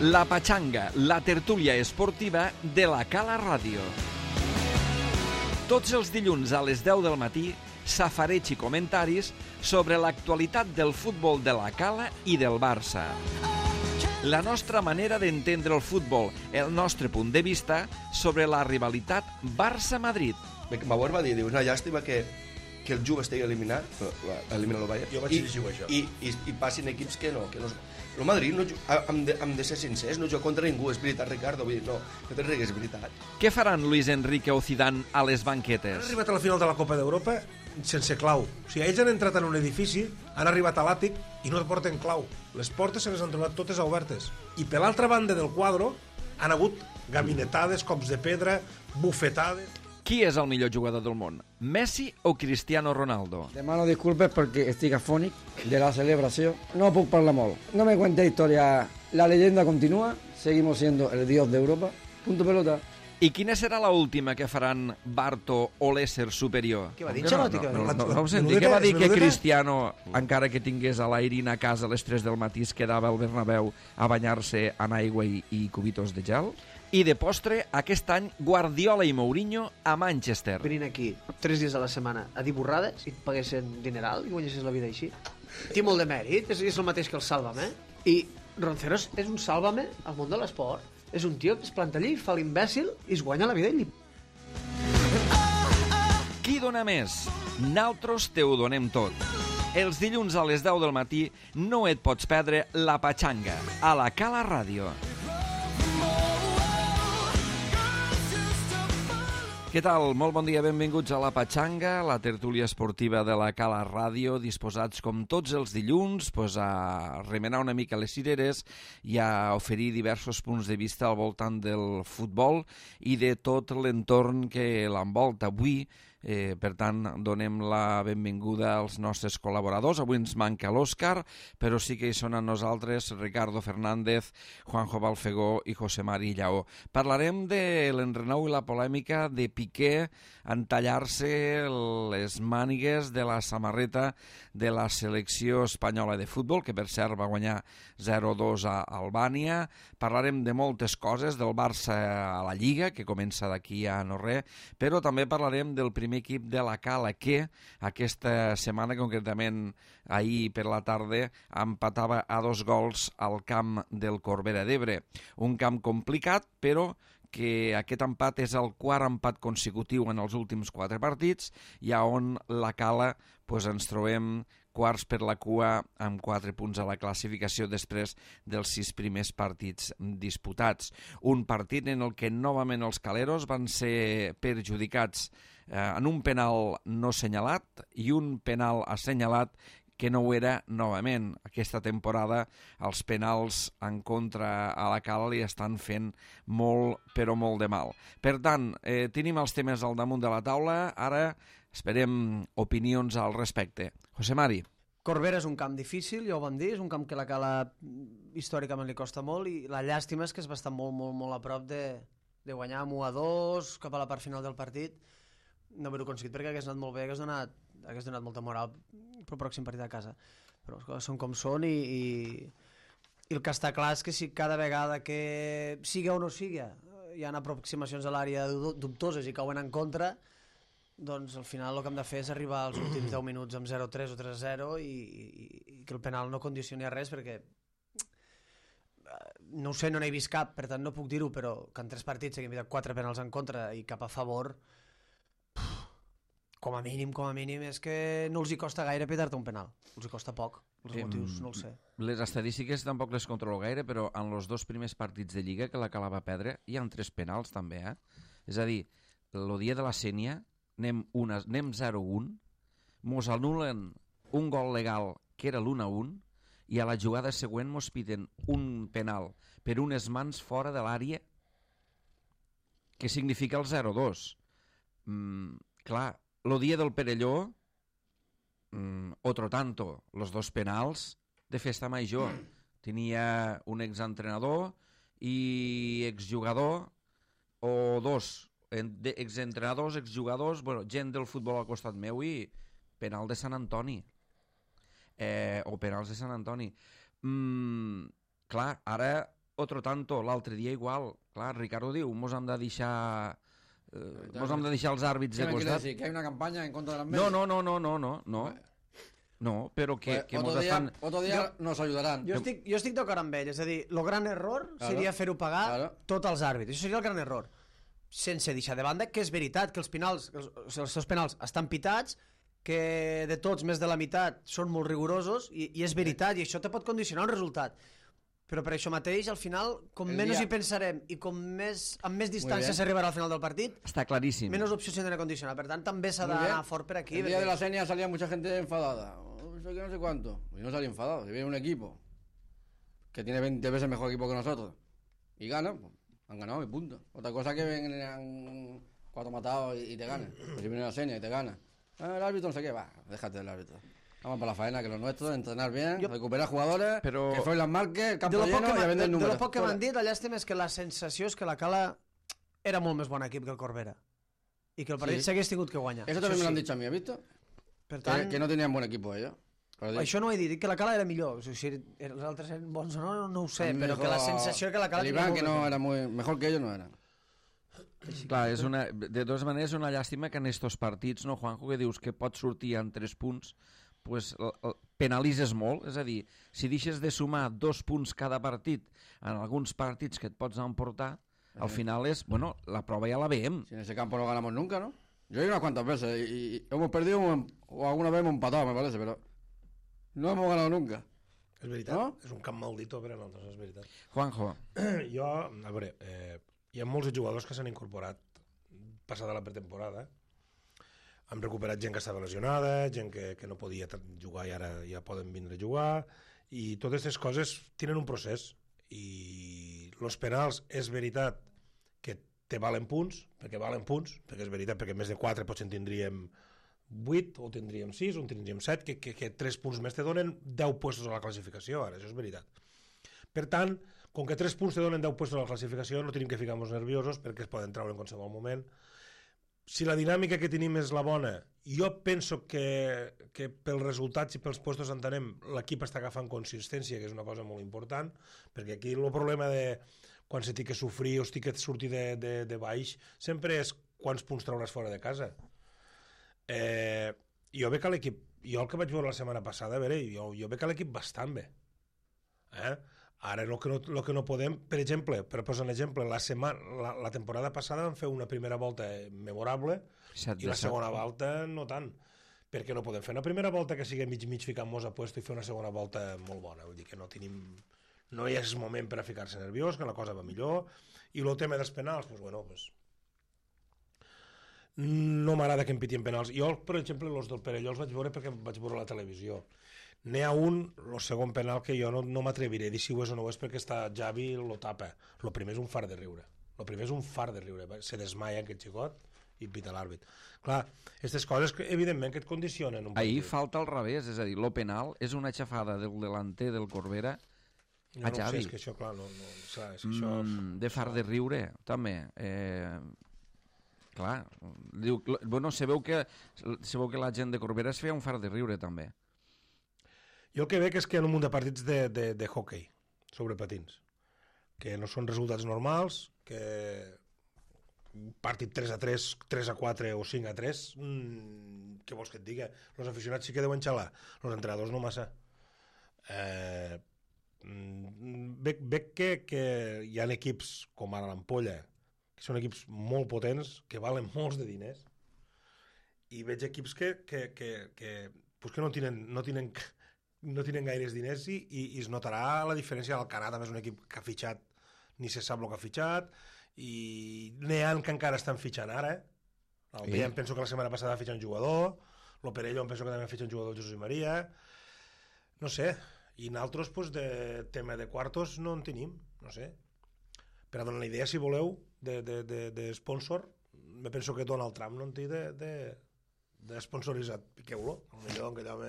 La Pachanga, la tertúlia esportiva de la Cala Ràdio. Tots els dilluns a les 10 del matí, safareig i comentaris sobre l'actualitat del futbol de la Cala i del Barça. La nostra manera d'entendre el futbol, el nostre punt de vista sobre la rivalitat Barça-Madrid. Bauer va dir, una llàstima que el Juve estigui eliminat, elimina el Bayern, jo vaig llegir això. I passin equips que no. El Madrid, hem de ser sincers, no juga contra ningú, és veritat, Ricardo, vull dir, no te rigues, és veritat. Què faran Luis Enrique o Zidane a les banquetes? Han arribat a la final de la Copa d'Europa sense clau. O sigui, ells han entrat en un edifici, han arribat a l'àtic i no porten clau. Les portes se les han trobat totes obertes. I per l'altra banda del quadre han hagut gabinetades, cops de pedra, bufetades... Qui és el millor jugador del món? Messi o Cristiano Ronaldo? Demano disculpes perquè estic afònic de la celebració. No puc parlar molt. No me cuente historia. La leyenda continúa. Seguimos siendo el dios de Europa. Punto pelota. I quina serà la última que faran Barto o l'ésser superior? Què va dir Ancelotti? No ho senti. Què va dir que Cristiano, encara que tingués a l'Airin a casa a les 3 del matí, es quedava al Bernabéu a banyar-se en aigua i cubitos de gel? I de postre, aquest any, Guardiola i Mourinho a Manchester. Venint aquí 3 dies a la setmana a dir borrades i et paguessin dineral i guanyessis la vida així. Té molt de mèrit, és el mateix que el Sálvame. I Ronceros és un Sálvame al món de l'esport. És un tio que es planta allí, fa l'imbècil i es guanya la vida ell. Qui dona més? Naltros te ho donem tot. Els dilluns a les 10 del matí no et pots perdre La Pachanga a la Cala Ràdio. Què tal? Molt bon dia, benvinguts a La Pachanga, la tertúlia esportiva de la Cala Ràdio, disposats com tots els dilluns a remenar una mica les cireres i a oferir diversos punts de vista al voltant del futbol i de tot l'entorn que l'envolta. Avui, per tant, donem la benvinguda als nostres col·laboradors. Avui ens manca l'Òscar, però sí que hi són amb nosaltres Ricardo Fernández, Juanjo Balfegó i José Mari Lleó. Parlarem de l'enrenou i la polèmica de Piqué en tallar-se les mànigues de la samarreta de la selecció espanyola de futbol, que per cert va guanyar 0-2 a Albània. Parlarem de moltes coses, del Barça a la Lliga, que comença d'aquí a no res, però també parlarem del primer equip de la Cala, que aquesta setmana, concretament ahir per la tarda, empatava a 2 gols al camp del Corbera d'Ebre. Un camp complicat, però que aquest empat és el quart empat consecutiu en els últims 4 partits i on la Cala ens trobem quarts per la cua amb 4 punts a la classificació després dels 6 primers partits disputats. Un partit en el que novament els caleros van ser perjudicats en un penal no senyalat i un penal assenyalat que no ho era novament. Aquesta temporada els penals en contra a la Cala li estan fent molt, però molt de mal. Per tant, tenim els temes al damunt de la taula, ara esperem opinions al respecte. José Mari. Corbera és un camp difícil, ja ho vam dir, és un camp que la Cala històricament li costa molt i la llàstima és que es va estar molt, molt, molt a prop de guanyar amb 1-2 cap a la part final del partit. No haver-ho aconseguit perquè hagués anat molt bé, hagués donat molta moral pel pròxim partit a casa. Però les coses són com són i el que està clar és que si cada vegada que siga o no siga hi ha aproximacions a l'àrea dubtoses i cauen en contra, doncs al final el que hem de fer és arribar als últims 10 minuts amb 0-3 o 3-0 i que el penal no condicioni a res, perquè no ho sé, no n'he vist cap, per tant no puc dir-ho, però que en 3 partits s'hagin evitat 4 penals en contra i cap a favor, com a mínim és que no els hi costa gaire petar-te un penal, els hi costa poc, els motius no els sé. Les estadístiques tampoc les controlo gaire, però en els 2 primers partits de Lliga que la Cala va perdre hi ha 3 penals també, és a dir, el dia de la Sénia anem 0-1, mos anulen un gol legal que era l'1-1 i a la jugada següent mos piden un penal per unes mans fora de l'àrea que significa el 0-2. Clar, el dia del Perelló, otro tanto, los 2 penals de festa major. Tenia un exentrenador i exjugador o 2 exentrenadors, exjugadors, gent del futbol al costat meu i penal de Sant Antoni. O penals de Sant Antoni. Clar, ara otro tanto, l'altre dia igual. Clar, Ricardo diu, mos hem de deixar els àrbits de ¿Qué me quiere costat. decir? ¿Que hay una campaña en contra de las medias? No. No, però que mos estan... Otro día nos ayudarán. Jo estic d'acord amb ell, és a dir, el gran error seria fer-ho pagar tots els àrbits. Això seria el gran error. Sense deixar de banda que és veritat que els seus penals estan pitats, que de tots més de la meitat són molt rigorosos, i és veritat, i això te pot condicionar un resultat. Però per això mateix, al final, com menys hi pensarem i com amb més distància s'arribarà al final del partit, està claríssim. Menys opcions tindrà a condicionar. Per tant, també s'ha d'anar fort per aquí. El día de la seña salía mucha gente enfadada. No sé cuánto. Y no salía enfadado. Si viene un equipo que tiene 20 veces mejor equipo que nosotros y gana, pues, han ganado y punto. Otra cosa que vengan 4 matados y te ganan. Pues si viene la seña y te gana. El árbitro no sé qué, va, déjate del árbitro. Vamos para la faena, que lo nuestro, entrenar bien, recuperar jugadores, que Froilán marque, el campo lleno i a vender números. De lo poc que m'han dit, la llàstima és que la sensació és que la Cala era molt més bon equip que el Corbera i que el partit s'hagués tingut que guanyar. Eso también me lo han dicho a mí, ¿has visto? Per tant, que no tenien bon equip ellos. Això no ho he dit, que la Cala era millor. Si els altres eren bons o no ho sé, però que la sensació que la Cala... El Iván, que no era muy... Mejor que ellos no era. Clar, de totes maneres és una llàstima que en estos partits, no, Juanjo, que dius que pots sortir en 3 punts, pues, penalitzes molt, és a dir, si deixes de sumar 2 punts cada partit en alguns partits que et pots emportar, al final és, bueno, la prova ja la veiem. Si en ese campo no ganamos nunca, ¿no? Yo he ido unas cuantas veces y hemos perdido o alguna vez hemos empatado, me parece, pero no hemos ganado nunca. És veritat, no? És un camp maldito per a nosaltres, és veritat. Juanjo. Jo, a veure, hi ha molts jugadors que s'han incorporat passada la pretemporada. Hem recuperat gent que estava lesionada, gent que no podia jugar i ara ja poden vindre a jugar, i totes aquestes coses tenen un procés, i els penals és veritat que te valen punts, perquè és veritat, perquè més de 4 potser en tindríem 8, o tindríem 6, o en tindríem 7, que 3 punts més te donen 10 puestos a la classificació, ara, això és veritat. Per tant, com que 3 punts te donen 10 puestos a la classificació, no tenim que ficar-nos nerviosos perquè es poden treure en qualsevol moment. Si la dinàmica que tenim és la bona, jo penso que pels resultats i pels puestos entenem, l'equip està agafant consistència, que és una cosa molt important, perquè aquí el problema de quan se té que sofrir o es té que sortir de baix sempre és quants punts trauràs fora de casa. Jo veig que l'equip, jo el que vaig veure la setmana passada, a veure, jo veig que l'equip bastant bé. Ara el que no podem, per exemple, per posar un exemple, la temporada passada vam fer una primera volta memorable i la segona volta no tant, perquè no podem fer una primera volta que sigui mig ficant-nos a puesto i fer una segona volta molt bona, vull dir que no hi és moment per a ficar-se nerviós, que la cosa va millor, i el tema dels penals, doncs bueno, no m'agrada que em pitien penals. Jo, per exemple, els del Perelló els vaig veure perquè vaig veure la televisió. N'hi ha un, el segon penal, que jo no m'atreviré a dir si ho és o no ho és perquè està Javi lo tapa. El primer és un far de riure. Se desmaia aquest xicot i pita l'àrbit. Clar, aquestes coses evidentment que et condicionen un partit. Ahir falta al revés, és a dir, lo penal és una xafada del delanter del Corbera a Javi. No sé, és que això, clar, és que això... De far de riure, també. Clar, diu, bueno, se veu que la gent de Corbera es feia un far de riure també. Jo el que veig és que hi ha un munt de partits de hockey sobre patins, que no són resultats normals, que un partit 3-3, 3-4 o 5-3, què vols que et digui? Els aficionats sí que deuen xalar, els entrenadors no massa. Veig que hi ha equips com ara l'Ampolla, que són equips molt potents, que valen molts de diners, i veig equips que no tenen gaires diners i es notarà la diferència. El Canà també és un equip que ha fitxat, ni se sap el que ha fitxat, i n'hi ha que encara estan fitxant ara. El Villem penso que la setmana passada va fitxar un jugador, el Perelló penso que també va fitxar un jugador, Jesús i Maria, no sé, i nosaltres de tema de quartos no en tenim, no sé. Per a donar una idea, si voleu, de sponsor, me penso que Donald Trump no en té de sponsoritzat. Piqueu-lo, potser que allò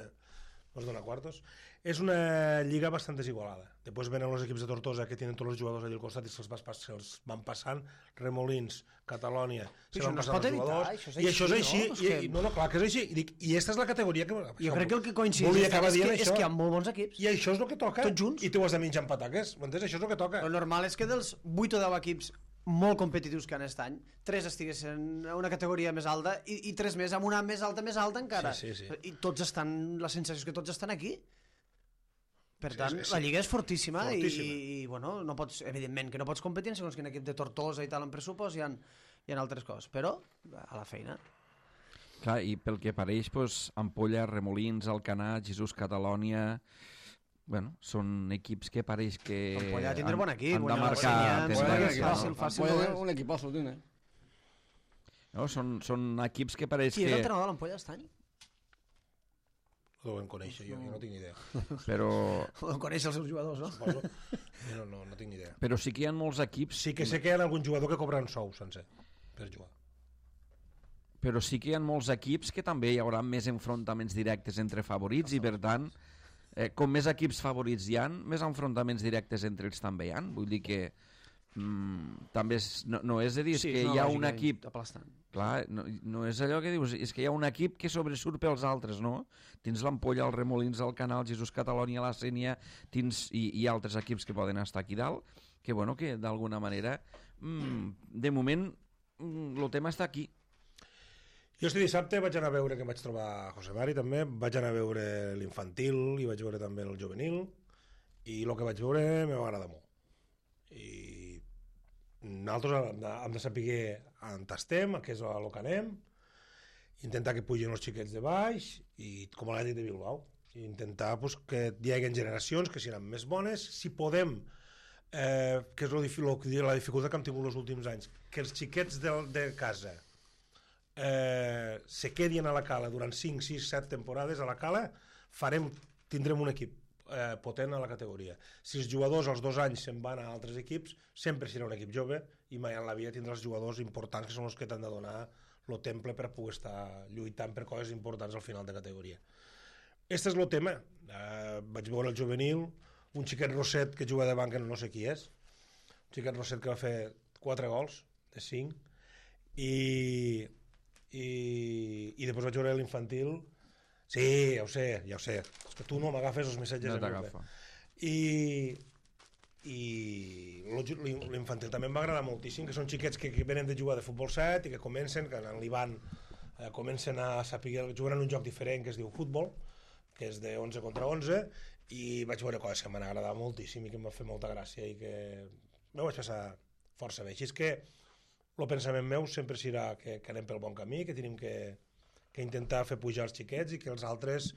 nos dona quartos. És una lliga bastant desigualada. Després venen els equips de Tortosa que tenen tots els jugadors allà al costat i se'ls van passant. Remolins, Catalònia, se van passant els jugadors. I això és així. No, clar que és així. I aquesta és la categoria que... Jo crec que el que coincideix és que hi ha molt bons equips. I això és el que toca. Tots junts. I tu has de menjar amb pataques. M'entens? Això és el que toca. El normal és que dels 8 o 10 equips molt competitius que han aquest any, 3 estiguessin a una categoria més alta i 3 més amb una més alta encara. Sí. I tots estan, la sensació és que tots estan aquí. Per tant, la lliga és fortíssima. I bueno, no pots, evidentment que no pots competir segons quin equip de Tortosa i tal en pressupost, hi ha altres coses, però a la feina. Clar, i pel que pareix, doncs, Ampolla, Remolins, Alcanar, Jesús Catalònia... Bueno, són equips que pareix que Ampolla tindrà bon equip, han de marcar... Fàcil. Un equipazo tiene. No, són equips que pareix Qui que... és l'entrenador de l'Ampolla aquest any? Ho devem conèixer, jo no tinc ni idea. Però... Ho conèixer els seus jugadors, no? Suposo. No tinc ni idea. Però sí que hi ha molts equips... Sí que sé que hi ha algun jugador que cobra un sou sencer per jugar. Però sí que hi ha molts equips que també hi haurà més enfrontaments directes entre favorits i, per tant, com més equips favorits hi ha, més enfrontaments directes entre ells també hi ha. Vull dir que també no és a dir, és que hi ha un equip... Clar, no és allò que dius, és que hi ha un equip que sobresurt pels altres, no? Tens l'Ampolla, el Remolins, el Canal, Jesús Catalònia, la Sénia, i altres equips que poden estar aquí dalt, que bueno, que d'alguna manera, de moment, el tema està aquí. Jo este dissabte vaig anar a veure, que vaig trobar a José Mari també, vaig anar a veure l'infantil i vaig veure també el juvenil, i el que vaig veure m'ha agradat molt. I nosaltres hem de saber on estem, què és el que anem, intentar que pugin els xiquets de baix, i com a l'Atlètic de Bilbao, i intentar pues, que hi hagi generacions que seran més bones, si podem, que és la dificultat que hem tingut els últims anys, que els xiquets de casa se quedin a la Cala durant 5, 6, 7 temporades a la Cala, tindrem un equip potent a la categoria. Si els jugadors als 2 anys se'n van a altres equips, sempre serà un equip jove i mai en la vida tindràs jugadors importants que són els que t'han de donar el temple per poder estar lluitant per coses importants al final de categoria. Este és el tema. Vaig veure el juvenil, un xiquet Roset que juga de banca, no sé qui és, un xiquet Roset que va fer 4 gols de 5, i després vaig veure l'infantil. Sí, ja ho sé, és que tu no m'agafes els missatges. No t'agafa. I l'infantil també em va agradar moltíssim, que són xiquets que venen de jugar de futbol 7 i que comencen, que en l'Ivan comencen a saber, juguen en un joc diferent que es diu futbol, que és de 11 contra 11, i vaig veure coses que m'han agradat moltíssim i que em va fer molta gràcia i que m'ho vaig passar força bé. Així és que el pensament meu sempre serà que anem pel bon camí, que tenim que intentar fer pujar els xiquets i que els altres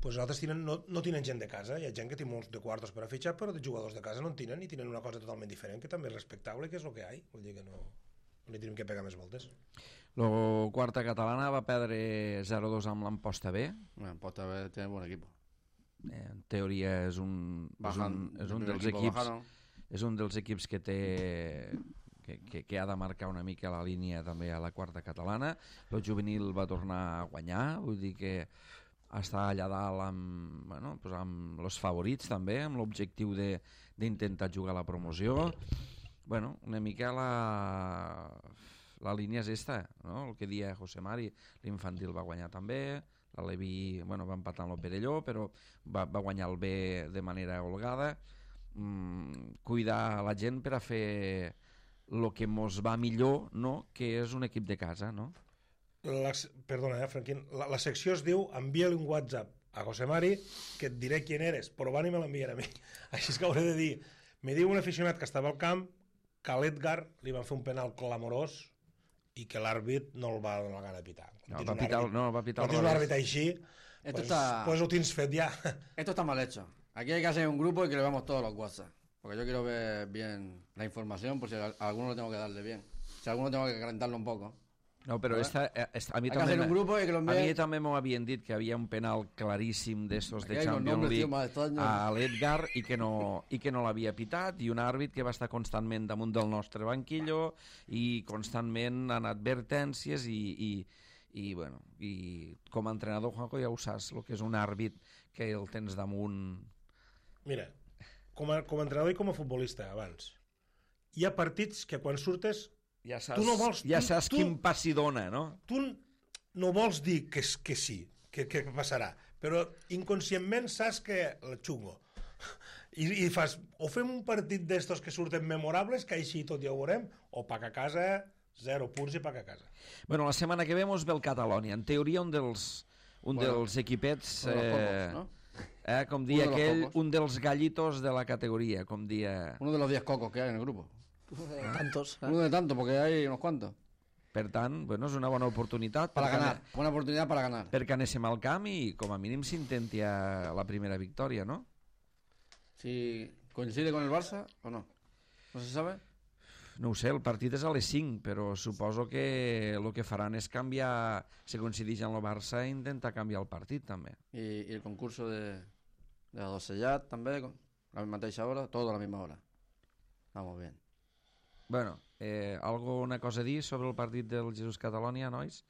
no tenen gent de casa. Hi ha gent que té molts de quartos per a fitxar, però de jugadors de casa no en tenen i tenen una cosa totalment diferent, que també és respectable, que és el que hi ha. Vull dir que no li tenim que pegar més voltes. La quarta catalana va perdre 0-2 amb l'Amposta B. Amposta B té bon equip. En teoria és un dels equips que té... que ha de marcar una mica la línia també a la quarta catalana. El juvenil va tornar a guanyar, vull dir que està allà dalt amb els favorits també, amb l'objectiu d'intentar jugar a la promoció. Una mica la línia és esta, no? El que dia José Mari, l'infantil va guanyar també, la Levi va empatar amb el Perelló, però va guanyar el B de manera holgada. Cuidar la gent per a fer el que mos va millor, no? Que és un equip de casa, no? Perdona, Franquín, la secció es diu envia-li un WhatsApp a José Mari que et diré quién eres, però van i me l'envien a mi. Així és que hauré de dir, me diu un aficionat que estava al camp que a l'Edgar li van fer un penal clamorós i que l'àrbit no el va donar la gana de pitar. Va pitar un àrbit així, pues ho tens fet ja. Esto está mal hecho. Aquí hay que hacer un grupo y que le veamos todos los WhatsApp. Porque yo quiero ver bien la información, por si a alguno lo tengo que darle bien. Si a alguno tengo que calentarlo un poco. No, però a mi també m'ho havien dit que havia un penal claríssim d'estos de Champions League a l'Edgar i que no l'havia pitat, i un àrbit que va estar constantment damunt del nostre banquillo i constantment en advertències i, bueno, i com a entrenador, Juanjo, ja ho saps, el que és un àrbit que el tens damunt. Mira, com a entrenador i com a futbolista, abans, hi ha partits que quan surtes Ja saps, tu no vols, quin passi dona, no? tu no vols dir que sí, que passarà, però inconscientment saps que el xungo. I fas, o fem un partit d'estos que surten memorables, que així tot ja ho veurem, o pac a casa, 0 punts i pac a casa. Bueno, la setmana que ve mos ve el Catalonia. En teoria, un dels equipets... com dia aquell, un dels gallitos de la categoria, com dia... Uno de los 10 cocos que hay en el grupo. Tantos. Uno de tantos, porque hay unos cuantos. Per tant, bueno, és una bona oportunitat Para ganar, buena oportunidad para ganar. perquè anéssim al camp i com a mínim s'intenti la primera victòria, no? Si coincide con el Barça o no. ¿No se sabe? No ho sé, el partit és a les 5, però suposo que el que faran és canviar, si coincideix amb el Barça, intentar canviar el partit, també. Y el concurso de la Dosellat también, a la mateixa hora, todo a la misma hora. Vamos bien. Bueno, una cosa a dir sobre el partit del Jesús Catalonia, nois?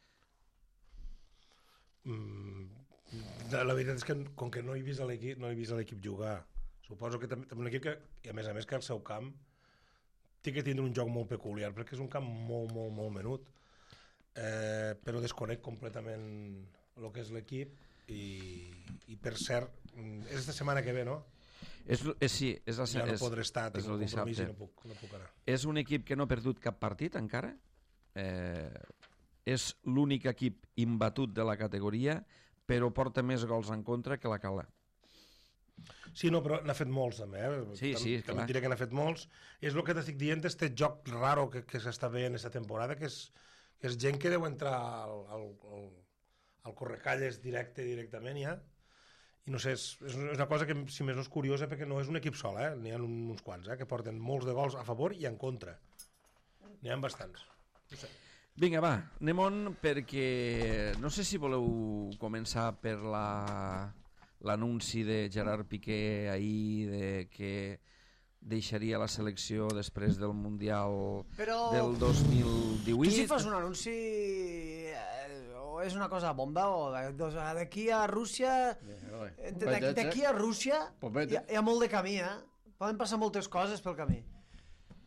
La veritat és que com que no he vist l'equip jugar, suposo que també un equip que, i a més que el seu camp té que tindre un joc molt peculiar, perquè és un camp molt menut, però desconec completament el que és l'equip i per cert, és esta setmana que ve, no? Sí, és la ja no podré estar, tinc un compromís i no puc anar. És un equip que no ha perdut cap partit encara, és l'únic equip imbatut de la categoria, però porta més gols en contra que la Cala. Sí, no, però n'ha fet molts també, Sí, clar. També diré que n'ha fet molts. És el que t'estic dient, este joc raro que s'està veient aquesta temporada, que és gent que deu entrar al correcalles directament ja, i no sé, és una cosa que si més no és curiosa, perquè no és un equip sol, n'hi ha uns quants, que porten molts de gols a favor i en contra. N'hi ha bastants. No sé. Vinga, va, anem-on, perquè no sé si voleu començar per l'anunci de Gerard Piqué ahir de que deixaria la selecció després del Mundial del 2018. Tu si fas un anunci o és una cosa bomba o d'aquí a Rússia d'aquí a Rússia hi ha molt de camí, poden passar moltes coses pel camí,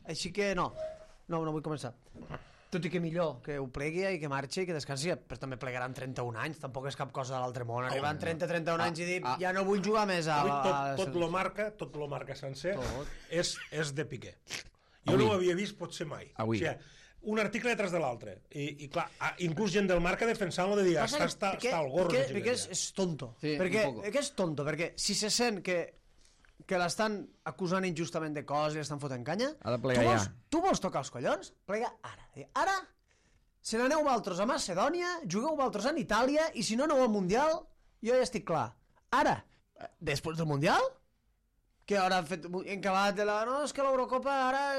així que no vull començar, tot i que millor que ho plegui i que marxi i que descansi, però també plegaran 31 anys, tampoc és cap cosa de l'altre món, arribant 30-31 anys i dir ja no vull jugar més tot lo marca sencer és de Piqué. Jo no ho havia vist potser mai. O sigui, un article detrás de l'altre i clar, inclús gent del Marca defensant-lo de dir està al gorro. Piqué és tonto, perquè si se sent que l'estan acusant injustament de coses i l'estan fotent canya, ha de plegar ja. Tu vols tocar els collons? Plega ara. Ara se n'aneu vosaltres a Macedònia, jugueu vosaltres en Itàlia i si no aneu al Mundial, jo ja estic clar. Ara, després del Mundial, que ara han fet encabat de la... No, és que l'Eurocopa ara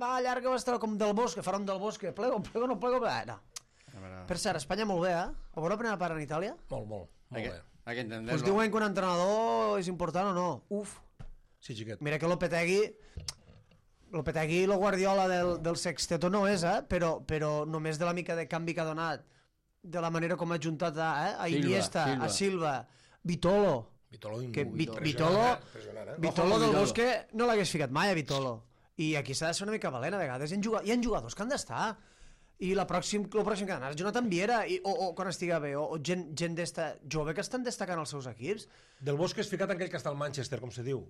va llarga, va estar com del Bosque, faran del Bosque, plego, no plego... No. Per cert, Espanya molt bé, ho veurà primera part en Itàlia? Molt bé. Hay que entenderlo. Pues diuen que un entrenador és important o no. Uf. Sí, xiquet. Mira que Lopetegui i la Guardiola del Sexteto no és, però només de la mica de canvi que ha donat, de la manera com ha juntat a Iniesta, a Silva, Vitolo del Bosque no l'hagués ficat mai a Vitolo, i aquí s'ha de ser una mica valent a vegades, hi ha jugadors que han d'estar, i el pròxim que ha d'anar és Jonathan Viera o quan estiga bé, o gent d'esta jove que estan destacant els seus equips. Del Bosque és ficat en aquell que està al Manchester, com se diu.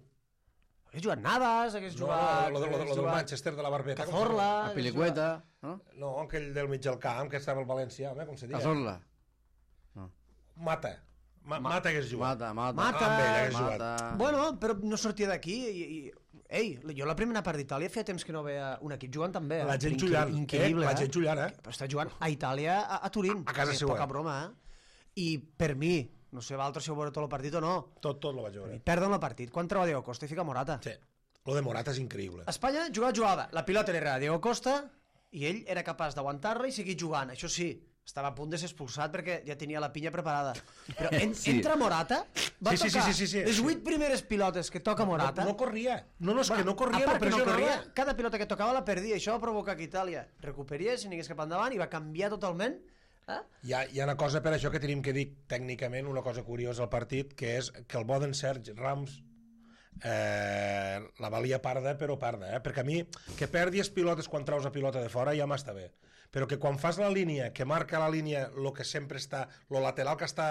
Hagués jugat Navas, hagués jugat... Lo del Manchester, de la Barbeta. Cazorla... A Pilicueta, no? No, aquell del mig del camp, que estava al València, home, com se diu. Cazorla. Mata hagués jugat. Mata. Bueno, però no sortia d'aquí i... Ei, jo la primera part d'Itàlia feia temps que no veia un equip jugant tan bé. La gent jugant, increïble, la gent jugant, Però està jugant a Itàlia, a Turín. A casa seva. Poca broma, I per mi, no sé vosaltres si heu veure tot el partit o no. Tot lo vaig veure. Perden el partit. Quan troba Diego Costa i fica Morata. Sí, lo de Morata és increïble. Espanya jugava. La pilota era a Diego Costa i ell era capaç d'aguantar-la i seguir jugant. Això sí, estava a punt de ser expulsat perquè ja tenia la pinya preparada. Però entra Morata, va tocar les 8 primeres pilotes que toca Morata. No corria. No, és que no corria, no pressionava. Cada pilota que tocava la perdia, això va provocar que Itàlia recuperés i anés cap endavant i va canviar totalment Hi ha una cosa per això que tenim que dir tècnicament, una cosa curiosa al partit, que és que el bo d'en Sergi Rams la valia parda, però parda, perquè a mi que perdis pilotes quan traus la pilota de fora ja m'està bé, però que quan fas la línia, que marca la línia lo que sempre està, lo lateral que està,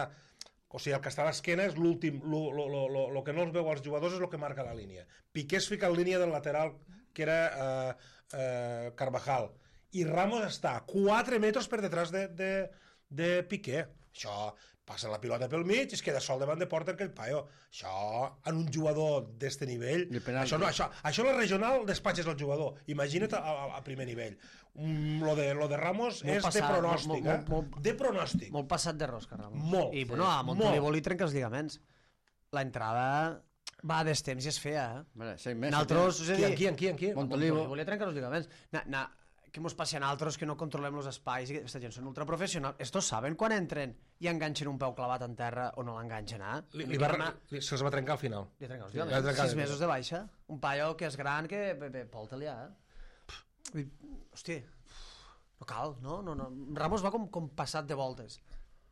o sigui, el que està a l'esquena és l'últim, lo que no els veu als jugadors és el que marca la línia. Piqué es fica en línia del lateral que era Carvajal, i Ramos està 4 metres per detrás de Piqué. Això, passa la pilota pel mig i es queda sol davant de porta aquell paio. Això, en un jugador d'este nivell, això la regional despatxes el jugador. Imagina't a primer nivell. Lo de Ramos és de pronòstic, de pronòstic. Molt passat de rosca, Ramos. Molt. I, bueno, a Montolivo li trenca els lligaments. L'entrada va a destemps i és fea, Vale, 6 mesos. Nosaltres, és a dir... Qui? Montolivo. Li trenca els lligaments. Què mos passa a nosaltres que no controlem els espais? Aquesta gent són ultraprofessionals. Estos saben quan entren i enganxen un peu clavat en terra o no l'enganxen, Se'ls va trencar al final. Li trenca els lligaments. 6 mesos de baixa. Un paio que és gran que porta-li, Hòstia, no cal, no? Ramos va com passat de voltes.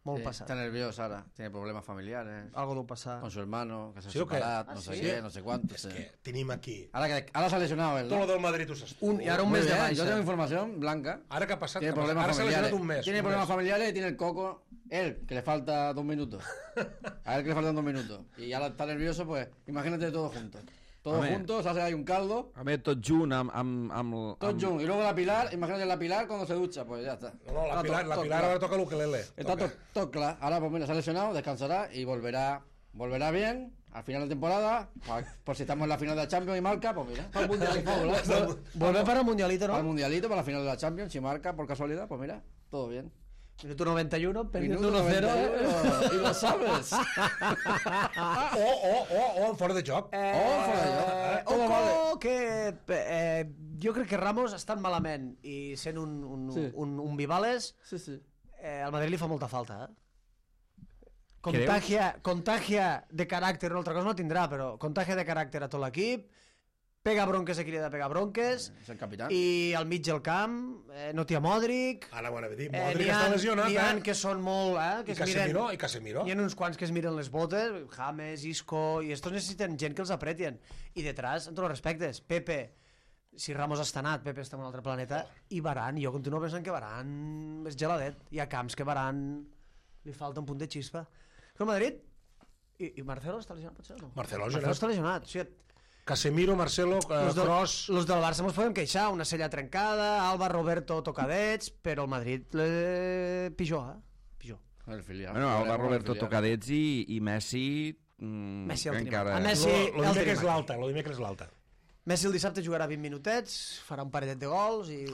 Molt passat. Está nervioso ahora, tiene problemas familiares. Algo deu passar. Con su hermano, que se ha ¿Sí o qué? separado, no sé qué, no sé cuánto. És que tenim aquí Ahora se ha lesionado él, tot ¿no? lo del Madrid ho saps. I ara un Muy mes de bien, baixa. yo tengo información blanca. Ara que ha passat? Tiene problemas Ara s'ha lesionat familiares. un mes. Tiene problemas familiares y tiene el coco, él, que le falta 2 minutos. A él que le faltan 2 minutos. Y ahora está nervioso, pues imagínate todos juntos. Todos juntos, hace ahí un caldo. A veure, tot junt Todos juntos. Y luego la Pilar, imagínate la Pilar cuando se ducha, pues ya está. No, la Pilar ahora toca l'ukelele. Está todo claro. Ahora, pues mira, se ha lesionado, descansará y volverá bien al final de temporada. Por si estamos en la final de la Champions y marca, pues mira. Para el Mundialito. Volver para el Mundialito, Para el ¿no? Mundialito, para la final de la Champions, si marca por casualidad, pues mira, todo bien. Minuto 91, perdiendo Minuto 1-0. Y lo sabes. O en fora de joc. Todo vale. Ojo, que jo crec que Ramos estan malament i sent un Vivales, Sí. al Madrid li fa molta falta, Contagia de caràcter, una altra cosa no tindrà, però contagia de caràcter a tot l'equip, pega bronques a qui li ha de pegar bronques, Es el capitán. i al mig del camp no t'hi ha Modric, Ara ho anava a dir. Modric està lesionat, n'hi ha que són molt... que es miren, I Casemiro. hi ha uns quants que es miren les botes, James, Isco, i estos necessiten gent que els apretien. I detrás, amb tots els respectes, Pepe, si Ramos està anat, Pepe està en un altre planeta, i Varane, jo continuo pensant que Varane és geladet. Hi ha camps que Varane li falta un punt de xispa. Que el Madrid... I Marcelo està lesionat, potser o no? Marcelo està lesionat. O sigui, Casemiro, Marcelo, Kroos... Los del Barça ens podem queixar, una cella trencada, Alba, Roberto, tocadets, però el Madrid pitjor, pitjor. El filial. Bueno, Alba, Roberto Tocadets i Messi... Messi el tenim. encara... A Messi Lo el dimecres tenim. l'alta. Messi el dissabte jugarà 20 minutets, farà un paretet de gols i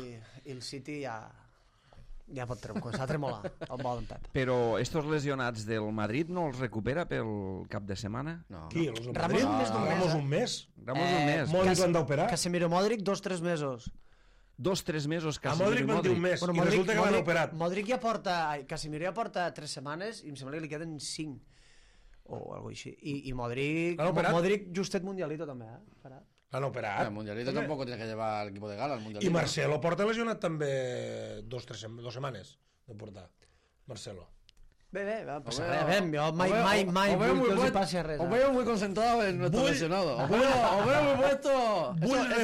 el City ja pot començar a tremolar el bo d'en Pep. Però estos lesionats del Madrid no els recupera pel cap de setmana? No. Qui? Els del Ramos Madrid? més d'un mes, Ramos un mes? Ramos un mes. Modric l'han d'operar? Casemiro Modric, 2-3 mesos. 2-3 mesos A Casemiro Modric i van dir un mes, i resulta que l'han operat. Modric ja porta... Casemiro ja porta 3 setmanes i em sembla que li queden 5 o alguna així. I Modric... L'han operat? Modric justet Mundialito també, Farà. L'han operat. El Mundialito tampoco tiene que llevar al equipo de gala. El Mundialito. I Marcelo porta lesionat també 2 setmanes de portar. Marcelo. Bé, va passar Os veo- res. Jo mai os veo vull muy que els hi puesto- passi res. Os veo muy concentrados en nuestro Vull- lesionado. Os veo muy puesto.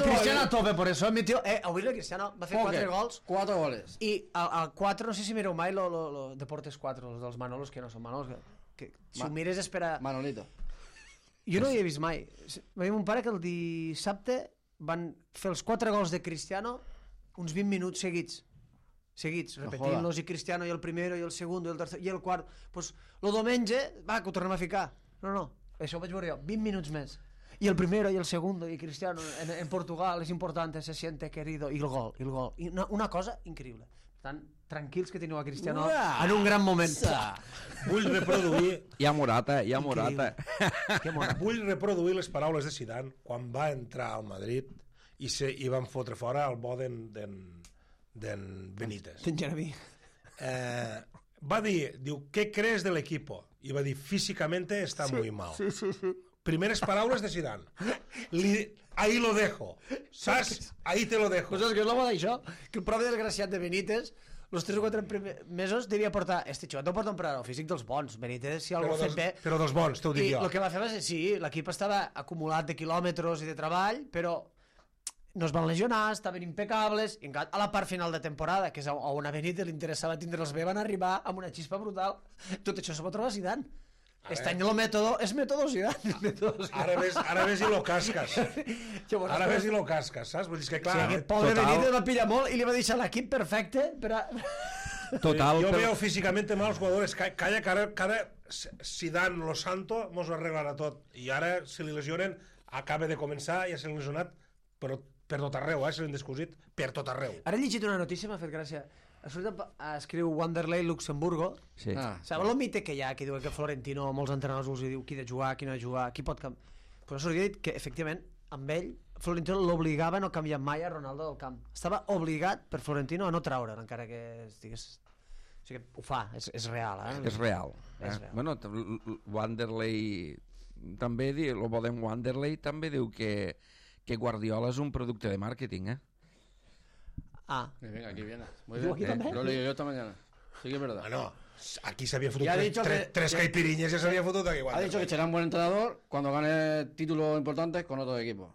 Cristiano a tope, por eso admitió... avui el Cristiano va fer 4 gols 4 goles. i al 4, no sé si mireu mai lo Deportes 4, els dels Manolos, que no són Manolos, que si ho mires és per a... Manolito. Jo no hi he vist mai. Va dir mon pare que el dissabte van fer els 4 gols de Cristiano uns 20 minuts seguits, repetint-los, i Cristiano i el primero i el segundo i el tercer i el quart. Pues lo diumenge, va, que ho tornem a ficar. No, això ho vaig veure jo, 20 minuts més. I el primero i el segundo i Cristiano en Portugal és important, se siente querido, i el gol. I una cosa increïble. Per tant, tranquils que teniu a Cristiano en un gran moment. Vull reproduir... Hi ha Morata. Vull reproduir les paraules de Zidane quan va entrar al Madrid i van fotre fora el bo d'en Benítez. D'en Jeremy. Va dir, ¿qué crees del equipo? I va dir, físicamente está muy mal. Primeres paraules de Zidane. Ahí lo dejo. Saps? Ahí te lo dejo. Pues és que és l'home d'això, que el propi desgraciat de Benítez, els 3 o 4 mesos devia portar... Este xicot no porta un preparador físic dels bons. Benítez, si algú ha fet bé... Però dels bons, t'ho dic I jo. el que va fer va ser, sí, l'equip estava acumulat de quilòmetres i de treball, però no es van lesionar, estaven impecables, i a la part final de temporada, que és on a Benítez li interessava tindre'ls bé, van arribar amb una xispa brutal. Tot això s'ho pot trobar Zidane. Este any el mètode és mètode Zidane. Ara ves i lo casques. Ara ves i lo casques, saps? Vull dir que, clar... Sí, aquest pobre Benítez va pillar molt i li va deixar l'equip perfecte per a... Total, Yo veo físicamente mal los jugadores. Calla, que ara Zidane, Lo Santo, mos ho arreglarà tot. I ara, si li lesionen, acaba de començar, ja se l'ha lesionat, però per tot arreu, se l'han descosit per tot arreu. Ara he llegit una notícia, m'ha fet gràcia. Escriu Wanderlei Luxemburgo. Sí. Sabeu el mite que hi ha, que diu que Florentino, molts entrenadors us diu qui ha de jugar, qui no ha de jugar, qui pot canviar. Però s'hauria dit que, efectivament, amb ell, Florentino l'obligava a no canviar mai a Ronaldo del camp. Estava obligat per Florentino a no treure'l, encara que estigués... O sigui que ho fa, és real, És real. És real. Bueno, Wanderlei també diu, el Boden Wanderlei també diu que Guardiola és un producte de màrqueting, Ah, Venga, aquí viene. Muy ¿Tú bien. aquí también? Lo leí yo esta mañana. Sí que es verdad. Bueno, aquí s'havia fotut Ja ha dicho tres que- caipirinyes, ja s'havia fotut aquí. Ha dicho que será un buen entrenador cuando gane títulos importantes con otros equipos.